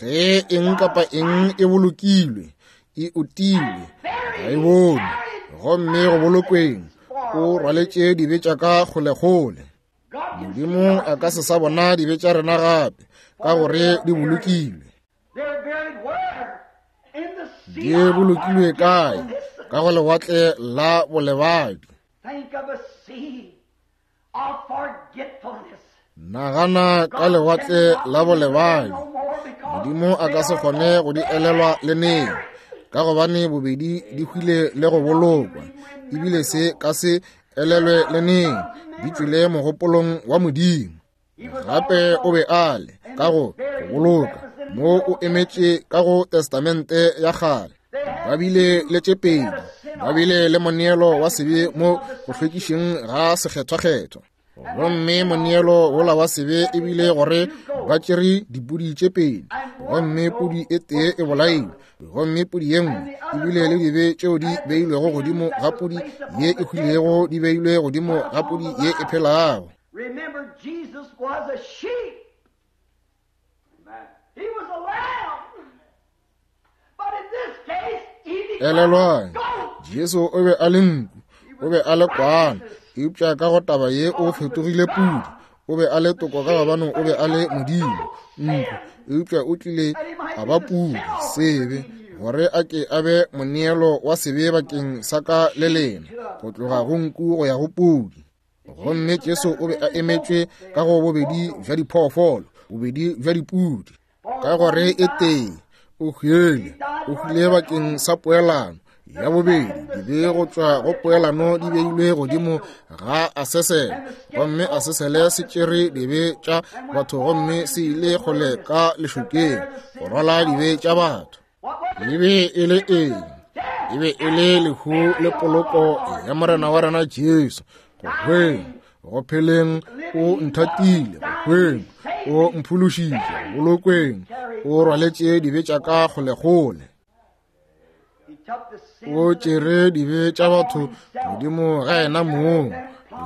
Ge eng kapa eng e bolokilwe, e utilwe, ga e bonwe, gomme go bolokweng o rwaletše dibe tša ka kgolekgole. Modimo a ka se sa bona dibe tša rena gape, ka gore di bolokilwe. Di bolokilwe kae? Ka go lewatle la bolebadi. Nagana ka lewatle la bolebadi. Modimo a ka se kgone go di elelwa le neng, ka gobane bobedi di hwile le go bolokwa, ebile se ka se elelwe le neng, di tšwile mogopolong wa Modimo. Gape o be a le ka go boloka mo o emetše ka go Testamente ya kgale. Ba bile le tše pedi, ba bile le moneelo wa sebe mo go hlwekišeng ga sekgethwakgethwa, gomme moneelo wola wa sebe e bile gore ba tšere dipudi tše pedi, gomme pudi e tee e bolailwe, gomme pudi ye nngwe e bile le dibe tšeo di beilwego godimo ga pudi ye e hwilego di beilwe godimo ga pudi ye e phelago. Remember, Jesus was a sheep. He was a lamb. But in this case, he became Elelwang, Jesu o be a le nku, o be a le kwana, eupša ka go taba ye o fetogile pudi. O be a le toko ka gobane o be a le Modimo, nku, eupša o tlile a ba pudi, sebe, gore a ke a be moneelo wa sebe bakeng sa ka le lena, go tloga go nku go ya go pudi. Gomme Jesu o be a emetšwe ka go bobedi bja diphoofolo, bobedi bja dipudi, ka gore e tee o hwile, o hwile bakeng sa poelano, Ya bobedi, dibe go tšwa go poelano di beilwe godimo ga Asesele, gomme Asesele se tšere dibe tša batho gomme se ile kgole ka lešokeng go rwala dibe tša batho. E be e le eng? E be e le lehu le poloko ya Morena wa rena Jesu. Go hweng, go pheleng o nthatile, go hweng o mphološitše, go bolokweng o rwaletše dibe tša ka kgolekgole. O tšere dibe tša batho godimo ga yena mong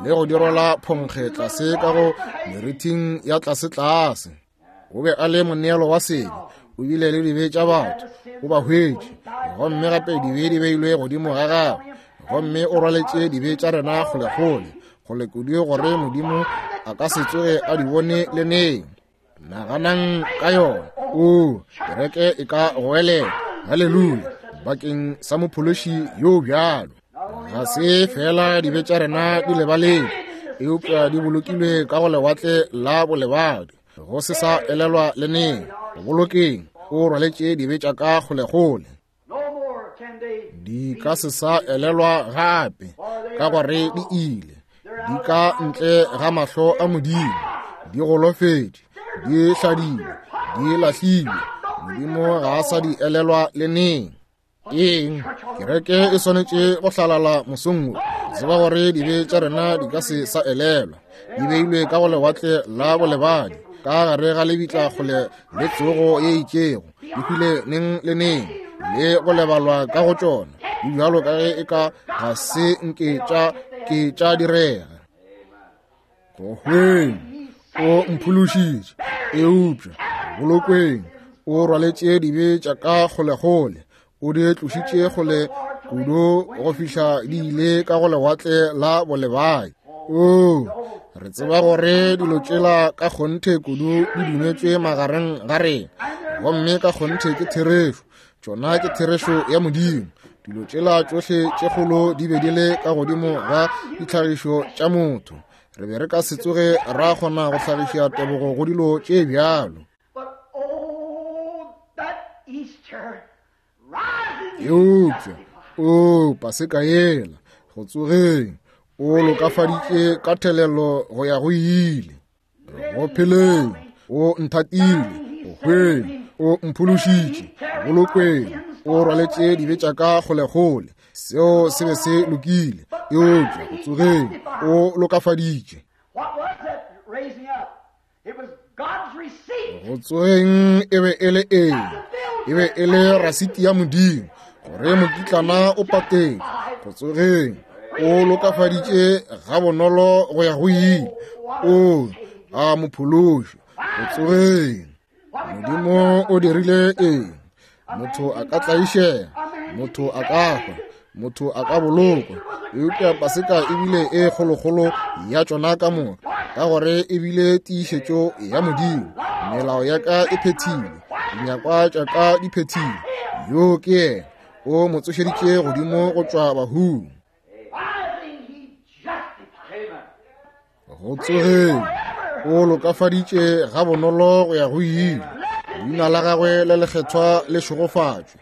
le go di rwala phonkge tlase ka go merithing ya tlasetlase. O be a le moneelo wa sebe, o bile le dibe tša batho, o ba hwetše, gomme gape dibe di beilwe godimo ga gagwe, gomme o rwaletše dibe tša rena kgolekgole, kgole kudu gore Modimo a ka se tsoge a di bone le neng. Naganang ka yona. O, kereke e ka goelela haleluya bakeng sa mophološi yo bjalo. Ga se fela dibe tša rena di lebaletšwe, eupša di bolokilwe ka go lewatle la bolebadi, go se sa elelwa le neng. Go bolokeng, o rwaletše dibe tša ka kgolekgole. Di ka se sa elelwa gape, ka gore di ile, di ka ntle ga mahlo a Modimo, di golofetše, di hladilwe, di lahlilwe. Modimo ga a sa di elelwa le neng. Eng? Kereke e swanetše go hlalala mosong wo, tseba gore dibe tša rena di ka se sa elelwa, di beilwe ka go lewatle la bolebadi, ka gare ga lebitla kgole le tsogo ye itšego, di hwile neng le neng le go lebalwa ka go tšona, di bjalo ka ge e ka ga se nke tša ke tša direga. Go hweng o mphološitše, eupša bolokweng o rwaletše dibe tša ka kgolekgole, o di tlošitše kgole kudu go fihla di ile ka go lewatle la bolebai. O, re tseba gore dilo tšela ka kgonthe kudu di dumetšwe magareng ga rena, gomme ka kgonthe ke therešo. Tšona ke therešo ya Modimo. Dilo tšela tšohle tše kgolo di be di le ka godimo ga ditlhagišo tša motho. Re be re ka se tsoge ra kgona go hlagiša tebogo go dilo tše bjalo. Eupša, o, Paseka yela, go tsogeng, o lokafaditše ka thelelo go ya go ile. Go pheleng, o nthatile, go hweng, o mphološitše, bolokweng, o rwaletše dibe tša ka kgolekgole. Seo se be se lokile, eupša go tsogeng, o lokafaditše. Go tsogeng e be e le eng? E be e le rasiti ya Modimo, gore mokitlana o patetše. Go tsogeng, o lokafaditše gabonolo go ya go ile, o a mophološi. Go tsogeng, Modimo o dirile eng? Motho a ka tlaišega, motho a ka hwa, motho a ka bolokwa, eupša Paseka e bile e kgolokgolo ya tšona ka moka, ka gore e bile tiišetšo ya Modimo. Melao ya ka e phethilwe, dinyakwa tša ka di phethilwe. Yo ke yena, o mo tsošeditše godimo go tšwa bahung. Go tsogeng, o lokafaditše gabonolo go ya go ile. Leina la gagwe le lekgethwa le šegofatšwe.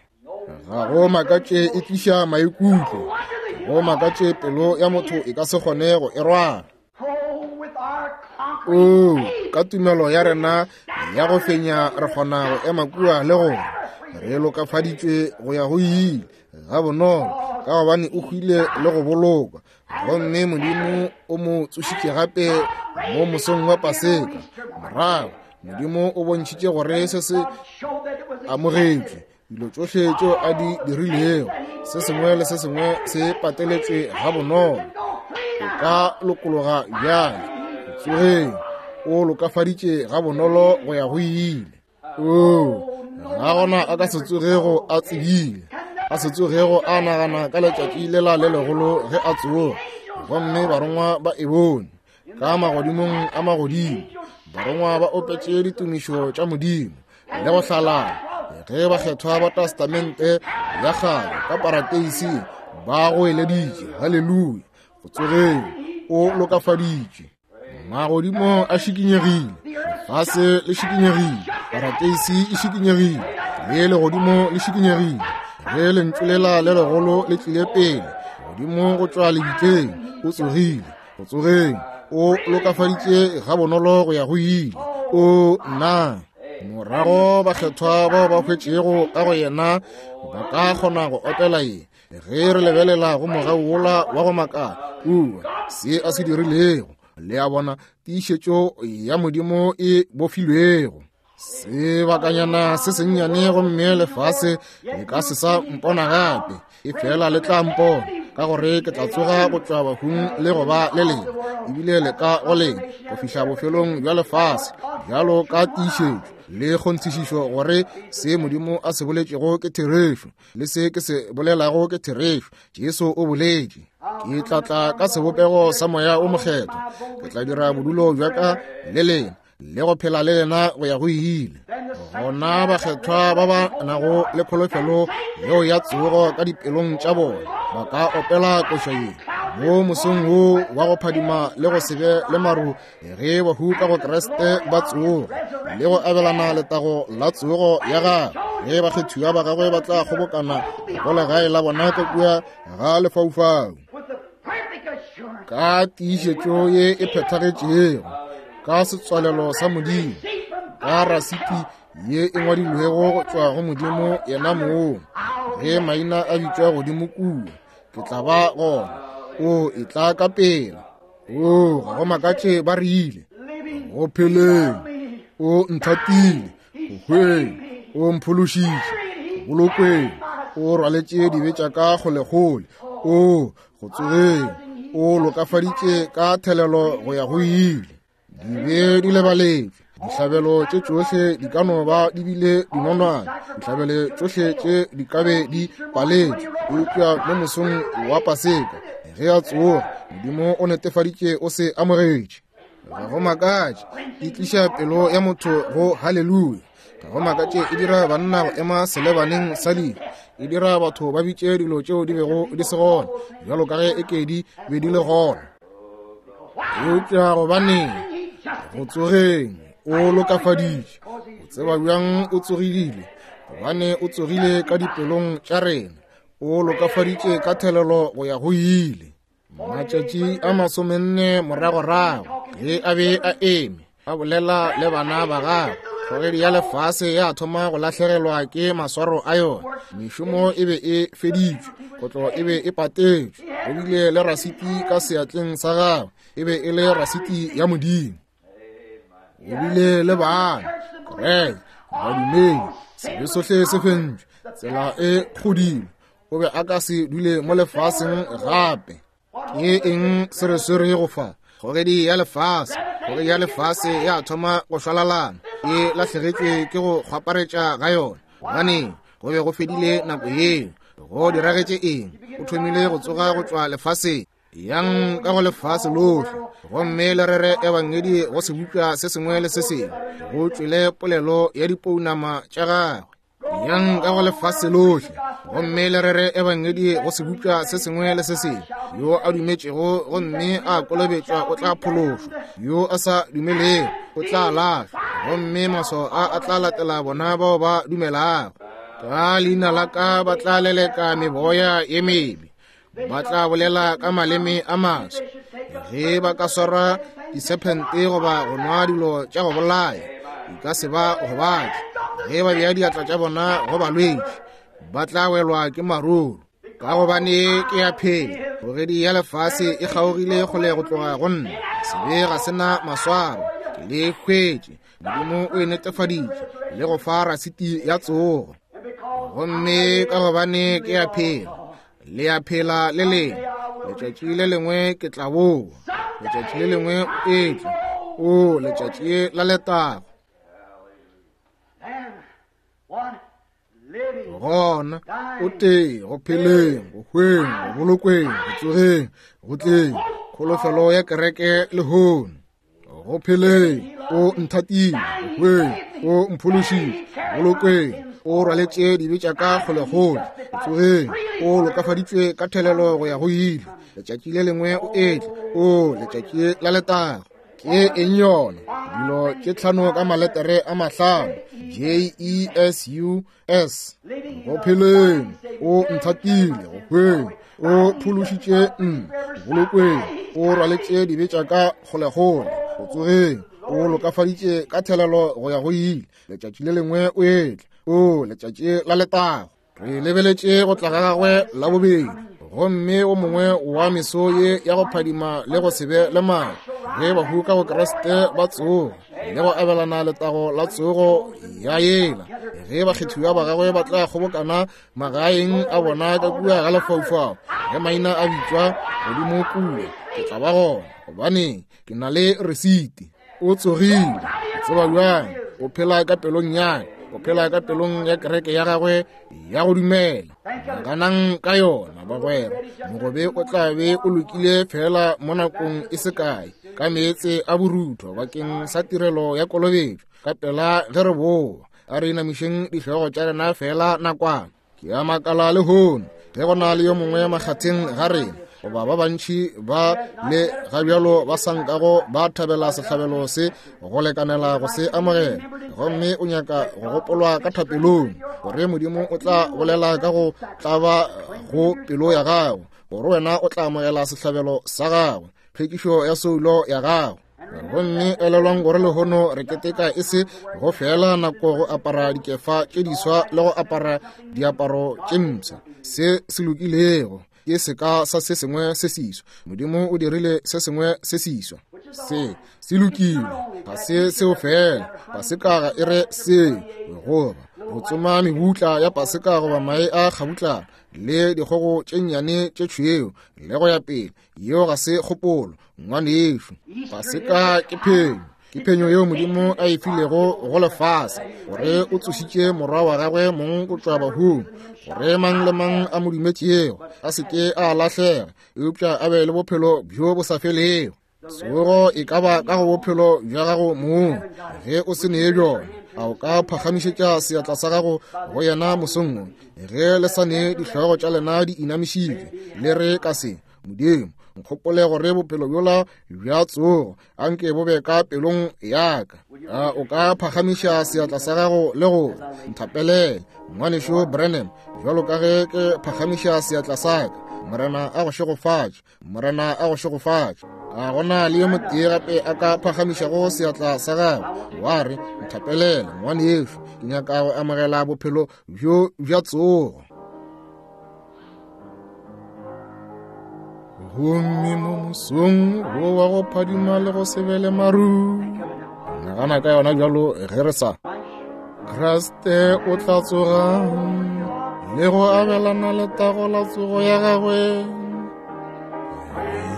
Ga go makatše e tliša maikutlo, go makatše pelo ya motho e ka se kgone go e rwala. O, ka tumelo ya rena ya go fenya re kgona go ema kua le gore re lokafaditšwe go ya go ile gabonolo, ka gobane o hwile le go bolokwa, gomme Modimo o mo tsošitše gape mo mosong wa Paseka. Morago Modimo o bontšhitše gore se se amogetšwe, dilo tšohle tšeo a di dirilego, se sengwe le se sengwe se pateletšwe gabonolo. O ka lokologa bjale. Tsogeng, o lokafaditše gabonolo go ya go ile. O, ga gona a ka se tsogego a tsebile, a se tsogego a nagana ka letšatši lela le legolo ge a tsoga, gomme barongwa ba e bone ka magodimong a magodimo. Barongwa ba opetše ditumišo tša Modimo le go hlalala ge bakgethwa ba Testamente ya kgale ka parateising ba goeleditše haleluya. Go tsogeng, o lokafaditšwe. Magodimo a šikinyegile, lefase le šikinyegile, parateisi e šikinyegile, le legodimo le šikinyegile. Ge lentšu lela le legolo le tlile pele godimo go tšwa lebitleng, o tsogile go tsogeng, o lokafaditše gabonolo go ya go ile. O nna morago bakgethwa bao ba hwetšego ka go yena ba ka kgona go opela ye ge re lebelela go mogau wola wa go makala kua se a se dirilego. Le a bona, tiišetšo ya Modimo e bofilwego. Sebakanyana se sennyane gomme lefase le ka se sa mpona gape, e fela le tla mpona, ka gore ke tla tsoga go tšwa bahung le go ba le lena, ebile le ka go lena go fihla bofelong bja lefase, bjalo ka tiišetšo le kgonthišišo gore se Modimo a se boletšego ke therešo, le se ke se bolelago ke therešo. Jesu o boletše, ke tla tla ka sebopego sa Moya o Mokgethwa, ke tla dira bodulo bja ka le lena le go phela le lena go ya go ile. Gona bakgethwa ba ba nago le kholofelo yeo ya tsogo ka dipelong tša bona ba ka opela koša ye mo mosong wo wa go phadima le go se be le maru, ge bahu ka go Kriste ba tsoga le go abelana letago la tsogo ya gagwe, ge bakgethiwa ba gagwe ba tla kgobokana go legae la bona ka kua ga lefaufau ka tiišetšo ye e phethagetšego, ka setswalelo sa Modimo, ka rasiti ye e ngwadilwego go tšwa go Modimo yena mong. Ge maina a bitšwa godimo kua, ke tla ba gona. O e tla ka pela. O ga go makatše ba rile go pheleng, o nthatile, go hweng, o mphološitše, go bolokweng, o rwaletše dibe tša ka kgolekgole, o go tsogeng, o lokafaditše ka thelelo go ya go ile. Dibe di lebaletšwe, dihlabelo tše tšohle di ka no ba di bile dinonwane, dihlabelo tšohle tše di ka be di paletšwe, eupša mo mosong wa Paseka ge a tsoga, Modimo o netefaditše o se amogetše. Ga go makatše e tliša pelo ya motho go haleluya. Ga go makatše e dira banna go ema selebaneng sa lehu, e dira batho ba bitše dilo tšeo di bego di se gona bjalo ka ge e ke di be di le gona. Eupša gobaneng go tsogeng o lokafaditše? O tseba bjang o tsogile? Gobane o tsogile ka dipelong tša rena, o lokafaditše ka thelelo go ya go ile. Matšatši a 40 moragorago, ge a be a eme a bolela le bana ba gagwe, kgogedi ya lefase ya thoma go lahlegelwa ke maswaro a yona. Mešomo e be e feditšwe, kotlo e be e patetšwe, go bile le rasiti ka seatleng sa gagwe, e be e le rasiti ya Modimo. O bile le bana, kereke, badumedi, sebe sohle se fentšwe, tsela e kgodilwe. O be a ka se dule mo lefaseng gape. Ke eng se re swerego fa? Kgogedi ya lefase, kgogedi ya lefase ya thoma go šwalalana, e lahlegetšwe ke go kgwaparetša ga yona. Gobaneng? Go be go fedile nako yeo. Go diragetše eng? O thomile go tsoga go tšwa lefaseng. Yang ka go lefase lohle gomme le rere ebangedi go sebopša se sengwe le se sengwe. Go tšwele polelo ya dipounama tša gagwe. Yang ka go lefase lohle gomme le rere ebangedi go sebopša se sengwe le se sengwe. Yo a dumetšego gomme a kolobetšwa o tla phološwa, yo a sa dumelego o tla lahlwa, gomme maswao a a tla latela bona bao ba dumelago. Ka leina la ka ba tla leleka meboya ye mebe, ba tla bolela ka maleme a maswa. Ge ba ka swara disephente goba go nwa dilo tša go bolaya, di ka se ba gobatše. Ge ba bea diatla tša bona go balwetši, ba tla welwa ke maruru. Ka gobane ke ya phela, kgogedi ya lefase e kgaogile kgole go tloga go nna. Sebe ga se na maswaro, ke le hwetše. Modimo o e netefaditše le go fa rasiti ya tsogo. Gomme ka gobane ke ya phela, le ya phela le lengwe. Letšatši le lengwe ke tla boa, letšatši le lengwe o etla. O letšatši la letago. Gona o tee go pheleng, go hweng, go bolokweng, go tsogeng, go tleng, kholofelo ya kereke lehono. Go pheleng o nthatile, go hweng o mphološitše, bolokweng o rwaletše dibe tša ka kgolekgole, go tsogeng o lokafaditšwe ka thelelo go ya go ile. Letšatši le lengwe o etla, o letšatši la letago. Ke eng yona? Dilo tše tlhano ka maletere a mahlano, J E S U S. Go pheleng, o nthatile, go hweng, o phološitše nna, bolokweng, o rwaletše dibe tša ka kgolekgole, go tsogeng, o lokafaditše ka thelelo go ya go ile. Letšatši le lengwe o etla, o letšatši la letago. Re lebeletše go tla ga gagwe la bobedi, gomme o mongwe wa meso ye ya go phadima le go se be le mago, ge bahu ka go Kriste ba tsoga le go abelana letago la tsogo ya yela, ge bakgethiwa ba gagwe ba tla kgobokana magaeng a bona ka kua ga lefaufau, ge maina a bitšwa godimo kua, ke tla ba gona, gobane ke na le resiti. O tsogile. O tseba bjang? O phela ka pelong ya, o phela ka pelong ya kereke ya gagwe ya go dumela. Naganang ka yona, bagwera. Mogobe o tla be o lokile fela mo nakong e se kae, ka meetse a borutho bakeng sa tirelo ya kolobetšo. Ka pela ge re boa, a re inamišeng dihlogo tša rena fela nakwana. Ke a makala lehono ge go na le yo mongwe makgatheng ga rena, goba ba bantši ba le ga bjalo ba sa nkago ba thabela sehlabelo se go lekanela go se amogela, gomme o nyaka go gopolwa ka thapelong, gore Modimo o tla bolela ka go tlaba go pelo ya gago, gore wena o tla amogela sehlabelo sa gagwe, tlhwekišo ya soulo ya gago. Gomme elelwang gore lehono re keteka e se go fela nako go apara dikefa tše diswa le go apara diaparo tše mpsha. Se se lokilego ke seka sa se sengwe se seswa. Modimo o dirile se sengwe se seswa. Se se lokile, ga se seo fela. Paseka ga e re seo, goba go tsoma mebutla ya paseka goba mae a kgabutlana le dikgogo tše nnyane tše tšhweu le go ya pele. Yeo ga se kgopolo, ngwanešu. Paseka ke phenyo, ke phenyo yeo Modimo a e filego go lefase, gore o tsošitše morwa wa gagwe mong go tšwa bahung, gore mang le mang a mo dumetšego a se ke a lahlega, eupša a be le bophelo bjo bo sa felego. Tsogo e ka ba ka go bophelo bja gago mong. Ge o se nee bjona, a o ka phagamišetša seatla sa gago go yena mosong wo? Ge le sa nee dihlogo tša lena di inamišitšwe, le re ka se, Modimo, nkgopole gore bophelo bjola bja tsogo a nke bo be ka pelong ya ka. A o ka phagamiša seatla sa gago le go nthapelela, Ngwanešu Branham, bjalo ka ge ke phagamiša seatla sa ka? Morena a go šegofatše. Morena a go šegofatše. A gona le yo motee gape a ka phagamišago seatla sa gagwe, wa re, nthapelela, ngwanešu, ke nyaka go amogela bophelo bjo bja tsogo. Gomme mo mosong wo wa go phadima le go se be le maru, nagana ka yona bjalo ge re sa Kriste o tla tsoga le go abelana letago la tsogo ya gagwe.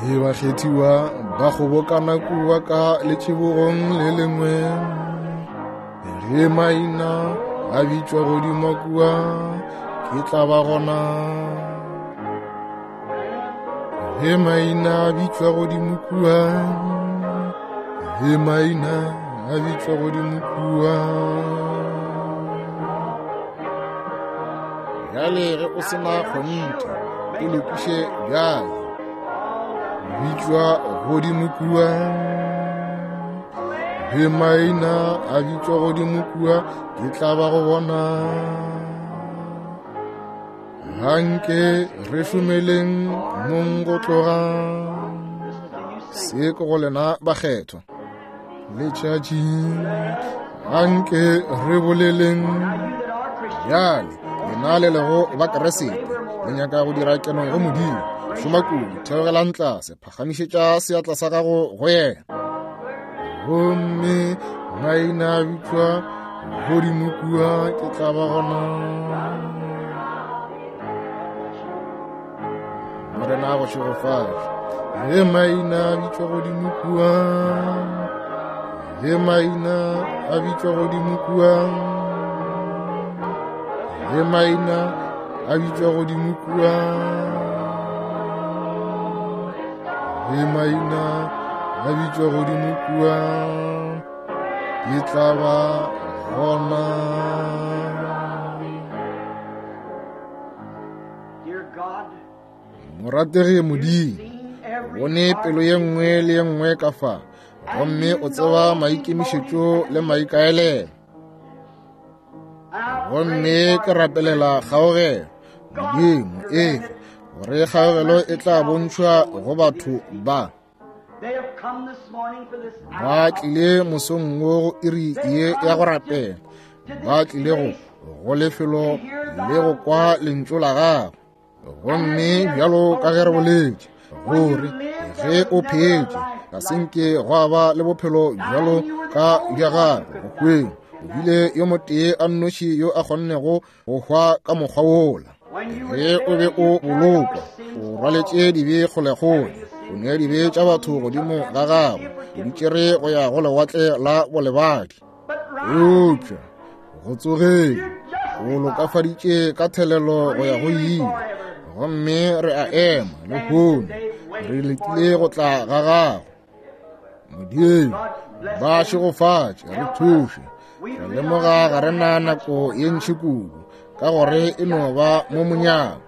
Le bakgethiwa ba kgobokana kua ka letšibogong le lengwe, ge maina a bitšwa godimo kua, ke tla ba gona. Ge maina a bitšwa godimo kua, ge maina a bitšwa godimo kua. Bjale ge o se na kgonthe, e lokiše bjale. Bitšwa godimo kua, ge maina a bitšwa godimo kua, ke tla ba go bona. Anke re šomeleng mong go tloga. Se ke go lena bakgethwa letšatši. Anke re boleleng bjale, lena le lego ba Keresete, le nyaka go dira keno go Modimo. Šoma kudu, theogelang tlase, phagamišetša seatla sa gago go yena. Gomme maina a bitšwa godimo kua, ke tla ba gona. Morena a go šegofatše. Ge maina a bitšwa godimo kua, ge maina a bitšwa godimo kua, ge maina a bitšwa godimo kua, ge maina a bitšwa godimo kua, ke tla ba gona. Morategi Modimo, bone pelo ye nngwe le ye nngwe ka fa. Gomme o tseba maikemišetšo le maikaelelo. Gomme ke rapelela kgaogelo, Modimo, efa gore kgaogelo e tla bontšhwa go batho ba. Ba tlile mosong wo go iri ye ya go rapela. Ba tlile go go lefelo le go kwa lentšu la gago. Gomme bjalo ka ge re boletše gore ge o phetše ga se nke gwa ba le bophelo bjalo ka bja gago go hweng, o bile yo motee a nnoši yo a kgonnego go hwa ka mokgwa wola. Ge o be o bolokwa, o rwaletše dibe kgolekgole, o nea dibe tša batho godimo ga gago, o di tšere go ya go lewatle la bolebadi. Eupša go tsogeng o lokafaditše ka thelelo go ya go ile. Gomme re a ema lehono re letile go tla ga gago. Modimo, ba šegofatše, re thuše. Re lemoga ga re na nako ye ntši kudu, ka gore e no ba mo monyako.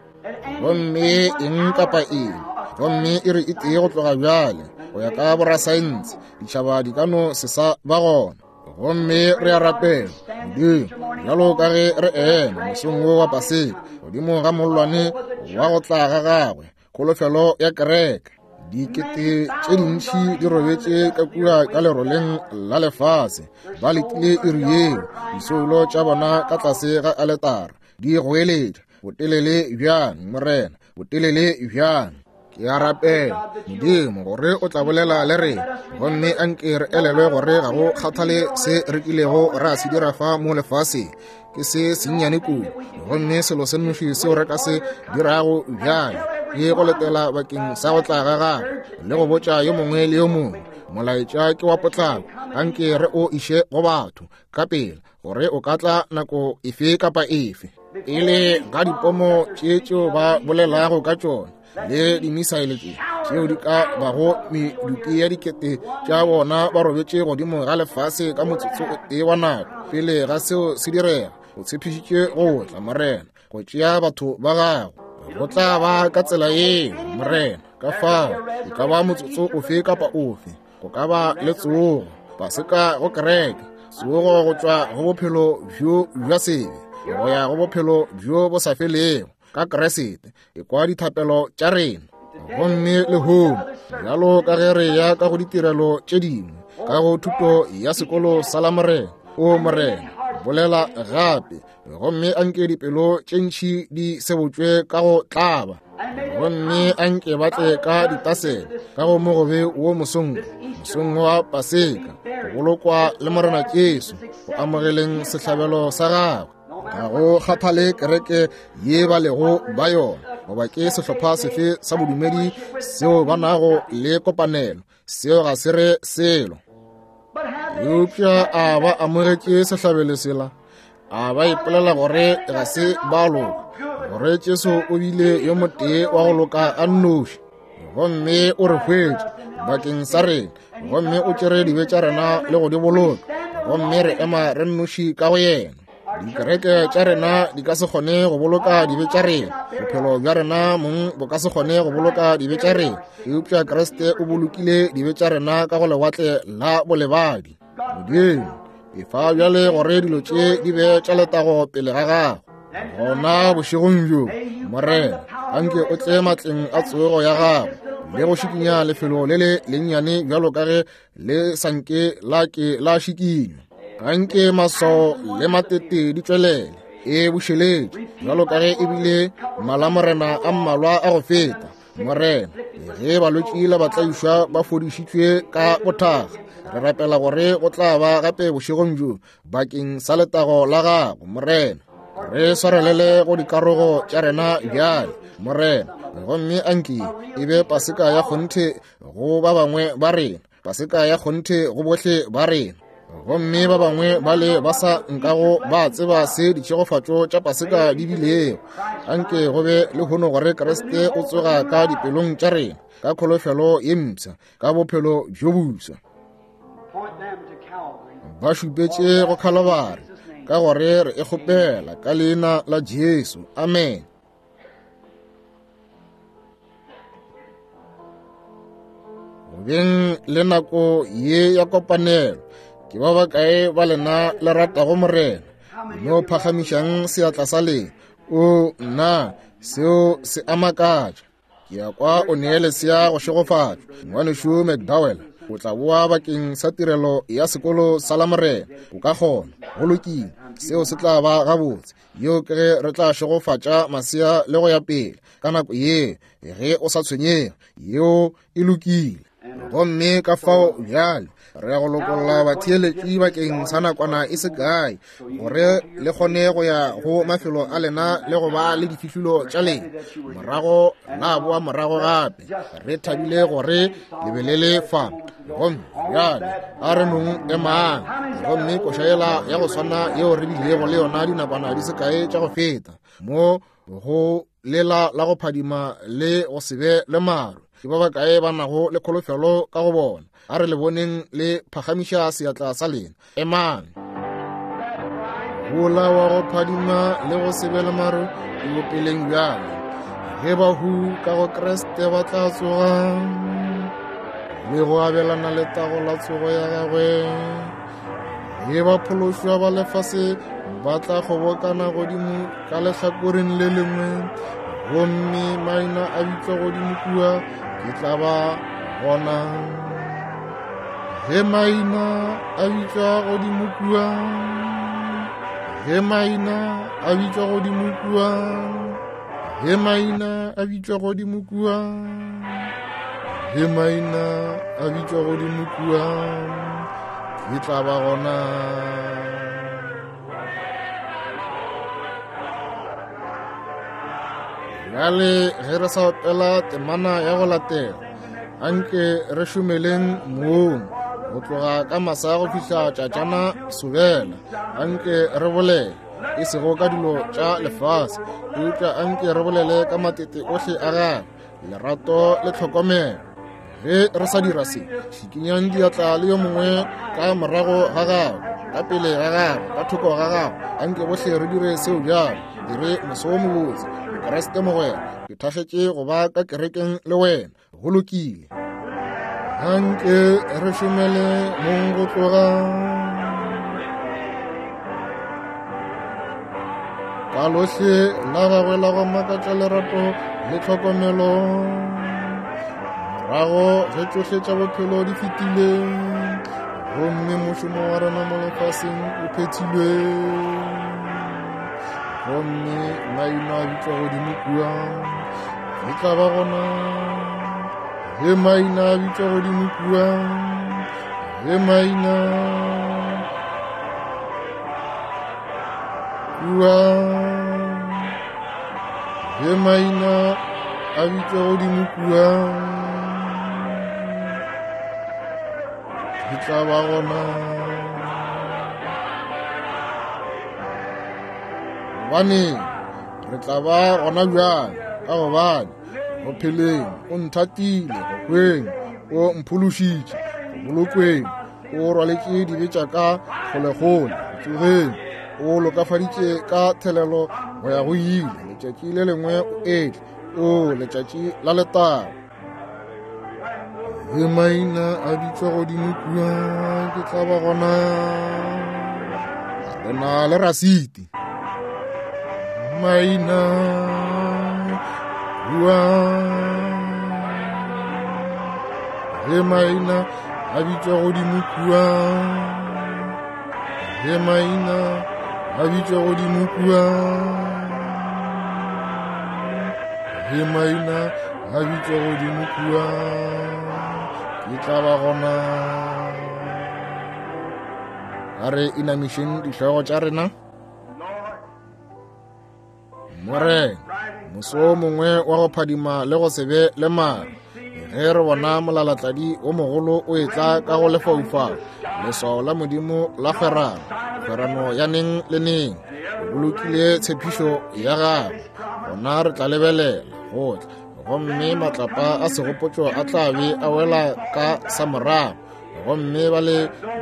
Gomme eng kapa eng, gomme e re e tee go tloga bjale, go ya ka borasaense, ditšhaba di ka no se sa ba gona. Gomme re a rapela, Modimo, bjalo ka ge re ema mosong wo wa Paseka, godimo ga mollwane wa go tla ga gagwe, kholofelo ya kereke. Dikete tše dintši di robetše ka kua ka leroleng la lefase, ba letile iri yeo, disoulo tša bona ka tlase ga aletara di goeletša, botelele bjang, Morena, botelele bjang. Ke a rapela, Modimo, gore o tla bolela le rena, gomme anke re elelwe gore ga go kgathale se re kilego ra se dira fa mo lefaseng, ke se sennyane kudu. Gomme selo se nnoši seo re ka se dirago bjale ke go letela bakeng sa go tla ga gagwe le go botša yo mongwe le yo mongwe molaetša ke wa potlako. Anke re o iše go batho ka pela, gore o ka tla nako efe kapa efe. Pele ga dipomo tše tšeo ba bolelago ka tšona le dimisaele tše tšeo di ka bago medupi ya dikete tša bona ba robetše godimo ga lefase ka motsotso o tee wa nako pele ga seo se direga, o tshepišitše go tla, Morena, go tšea batho ba gago. Go tla ba ka tsela yeo, Morena. Ka fao e ka ba motsotso ofe kapa ofe, go ka ba le tsogo, Paseka go kereke, tsogo go tšwa go bophelo bjo bja sebe go ya go bophelo bjo bo sa felego ka Kriste. Ekwa dithapelo tša rena. Gomme lehono, bjalo ka ge re ya ka go ditirelo tše dingwe, ka go thuto ya sekolo sa la Morena, o Morena, bolela gape, gomme anke dipelo tše ntši di sebotšwe ka go tlaba, gomme anke ba tle ka ditasele ka go mogobe wo mosong, mosong wa Paseka, go bolokwa le Morena Jesu, go amogeleng sehlabelo sa gagwe. Ga go kgathale kereke ye ba lego ba yona, goba ke sehlopha sefe sa bodumedi seo ba nago le kopanelo, seo ga se re selo. Eupša a ba amogetše sehlabelo sela, a ba ipolela gore ga se ba loka, gore Jesu o bile yo motee wa go loka a nnoši, gomme o re hwetše bakeng sa rena, gomme o tšere dibe tša rena le go di boloka, gomme re ema re nnoši ka go yena. Dikereke tša rena di ka se kgone go boloka dibe tša rena, bophelo bja rena mong bo ka se kgone go boloka dibe tša rena, eupša Kriste o bolokile dibe tša rena ka go lewatle la bolebadi. Modimo, efa bjale gore dilo tše di be tša letago pele ga gago. Gona bošegong bjo, Morena, anke o tle matleng a tsogo ya gago le go šikinya lefelo le le lennyane bjalo ka ge le sa nke la ke la šikinywa. Anke maswao le matete di tšwelele e bušeletše bjalo ka ge e bile malamorena a mmalwa a go feta. Morena, ge balwetši le batlaišwa ba fodišitšwe ka bothaga, re rapela gore go tla ba gape bošegong bjo bakeng sa letago la gago, Morena. Re swarelele go dikarogo tša rena bjale, Morena, gomme anke e be Paseka ya kgonthe go ba bangwe ba rena, Paseka ya kgonthe go bohle ba rena. Gomme ba bangwe ba le ba sa nkago ba tseba se ditšhegofatšo tša Paseka di bilego, anke go be lehono gore Kriste o tsoga ka dipelong tša rena ka kholofelo ye mpsha, ka bophelo bjo bofsa. Ba šupetše go Khalabari, ka gore re e kgopela ka leina la Jesu. Amen. Go beng le nako ye ya kopanelo, ke ba bakae ba lena le ratago Morena? No phagamišang seatla sa lena. O nna, seo se a makatša. Ke ya kwa o nee lesea go šegofatšwa. Ngwanešu McDowell o tla boa bakeng sa tirelo ya sekolo sa Lamorena. O ka kgona. Go lokile, seo se tla ba gabotse. Yeo ke ge re tla šegofatša masea le go ya pele ka nako ye, ge o sa tshwenyege. Yeo e lokile. Gomme ka fao bjale re ya go lokolla batheeletši bakeng sa nakwana e se kae, gore le kgone go ya go mafelo a lena le go ba le difihlolo tša lena, morago la boa morago gape. Re thabile gore le be le le fa. Gomme bjale a re nong emang, gomme koša yela ya go swana yeo re bilego le yona dinakwana di se kae tša go feta, mo go lela la go phadima le go se be le maru. Ke ba bakae ba nago le kholofelo ka go bona? A re le boneng le phagamiša seatla sa lena. Emang. Gola wa go phadima le go se be le maru ke bopeleng bjale, ge bahu ka go Kriste ba tla tsoga le go abelana letago la tsogo ya gagwe. Ge ba phološwa ba lefase ba tla kgobokana godimo ka lehlakoreng le lengwe, gomme maina a bitšwa godimo kua, ke tla ba gona. Ge maina a bitšwa godimo kua, ge maina a bitšwa godimo kua, ge maina a bitšwa godimo kua, ge maina a bitšwa godimo kua, ke tla ba gona. Bjale ge re sa opela temana ya go latela, anke re šomeleng moong go tloga ka masa go fihla tšatšana sobela. Anke re bolele e sego ka dilo tša lefase, eupša anke re bolele ka matete ohle a gagwe, lerato le tlhokomelo. Ge re sa dira se, šikinyang diatla le yo mongwe ka morago ga gago, ka pele ga gago, ka thoko ga gago. Anke bohle re dire seo bjalo. Dire moso wo mobotse, Mokriste mogwera. Ke thakgetše go ba ka kerekeng le wena. Go lokile. Anke re šomele mong go tloga ka lohle la gagwe la go makatša lerato le tlhokomelo. Morago ge tšohle tša bophelo di fetile, gomme mošomo wa rena mo lefaseng o phethilwe, gomme maina a bitšwa godimo kua, ke tla ba gona. Ge maina a bitšwa godimo kua, ge maina kua, ge maina a bitšwa godimo kua, ke tla ba gona. Gobane re tla ba gona bjale, ka gobane go pheleng o nthatile, go hweng o mphološitše, go bolokweng o rwaletše dibe tša ka kgolekgole, go tsogeng o lokafaditše ka thelelo go ya go ile. Letšatši le lengwe o etle, o letšatši la letago. Ge maina a bitšwa godimo kua, ke tla ba gona. Re na le rasiti. Maina kua, ge maina a bitšwa godimo kua, ge maina a bitšwa godimo kua, ge maina a bitšwa godimo kua, ke tla ba gona. A re inamišeng dihlogo tša rena. Morena, moso o mongwe wa go phadima le go se be le maru, ge re bona molalatladi o mogolo o etla ka go lefaufau, leswao la Modimo la kgwerano, kgwerano ya neng le neng, o bolokile tshepišo ya gagwe, gona re tla lebelela go tla, gomme matlapa a segopotšo a tla be a wela ka sa morago, gomme ba le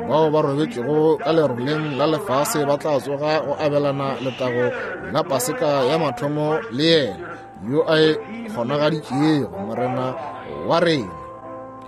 bao ba robetšego ka leroleng la lefase ba tla tsoga go abelana letago la Paseka ya mathomo le yena yo a e kgonagaditšego, Morena wa rena.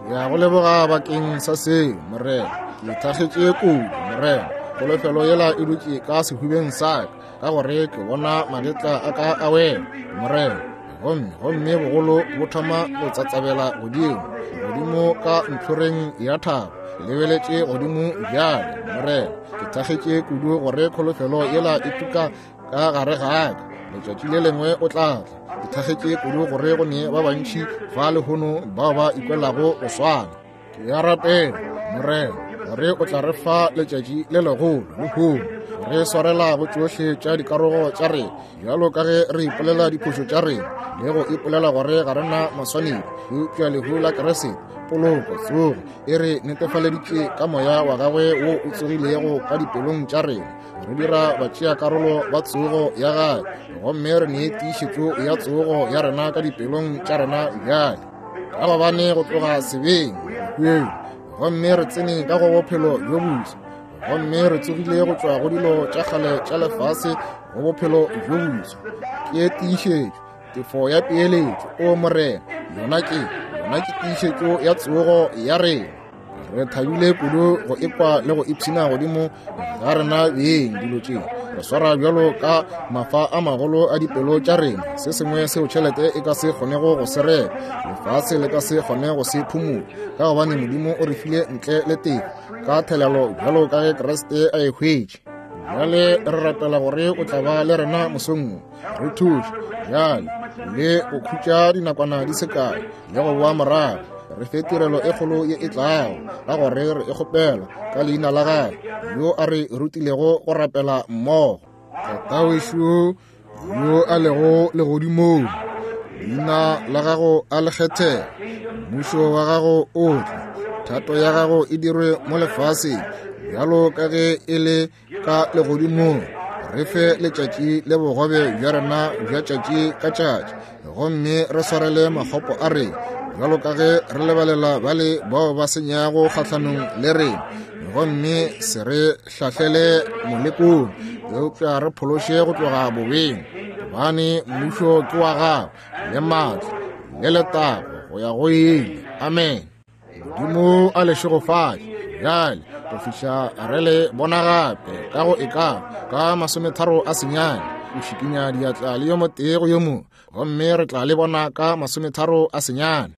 Ke a go leboga bakeng sa seo, Morena. Ke thakgetše kudu, Morena. Kholofelo yela e dutše ka sehubeng sa ka, ka gore ke bona magetla a ka a wela, Morena. Gomme, gomme bogolo bo thoma go tsatsabela godimo, godimo ka ntlhoreng ya thaba. Ke lebeletše godimo bjale, Morena. Ke thakgetše kudu gore kholofelo yela e tuka ka gare ga ka. Letšatši le lengwe o tla tla. Ke thakgetše kudu gore go ne ba bantši fa lehono bao ba ikwelago go swana. Ke a rapela, Morena, gore o tla re fa letšatši le legolo lehono, re swarela go tšohle tša dikarogo tša rena, bjalo ka ge re ipolela diphošo tša rena le go ipolela gore ga re na maswanedi, eupša lehu la Kriste, poloko, tsogo, e re netefaleditše ka moya wa gagwe wo o tsogilego ka dipelong tša rena, re dira batšeakarolo ba tsogo ya gagwe, gomme re nee tiišetšo ya tsogo ya rena ka dipelong tša rena bjale, ka gobane go tloga sebeng lehung, gomme re tsene ka go bophelo bjo boso, gomme re tsogile go tšwa go dilo tša kgale tša lefase go bophelo bjo boso. Ke tiišetšo, tefo ya peeletšo, o Morena, yona ke, yona ke tiišetšo ya tsogo ya rena. Re thabile kudu go ekwa le go ipshina godimo ga rena beng dilo tše. Re swara bjalo ka mafa a magolo a dipelo tša rena, se sengwe seo tšhelete e ka se kgonego go se reka, lefase le ka se kgone go se phumola, ka gobane Modimo o re file ntle le tefo ka thelelo bjalo ka ge Kriste a e hwetše. Bjale re rapela gore o tla ba le rena mosong wo, re thuše bjale le go khutša dinakwana di se kae le go boa morago, re fe tirelo e kgolo ye e tlago, ka gore re e kgopela ka leina la gagwe yo a re rutilego go rapela mmogo. Tatawešu yo a lego legodimong, leina la gago a le kgethege, mmušo wa gago o tle, thato ya gago e dirwe mo lefaseng bjalo ka ge e le ka legodimong. Re fe letšatši le bogobe bja rena bja tšatši ka tšatši, gomme re swarele makgopo a rena bjalo ka ge re lebalela bale bao ba senyago kgahlanong le rena, gomme se re hlahlele molekong, eupša re phološe go tloga bobeng, gobane mmušo ke wa gago le maatla le letago go ya go ile. Amen. Modimo a le šegofatše bjale go fihla re le bona gape ka go e ka ka 39, o šikinya diatla le yo motee go yo mongwe, gomme re tla le bona ka 39.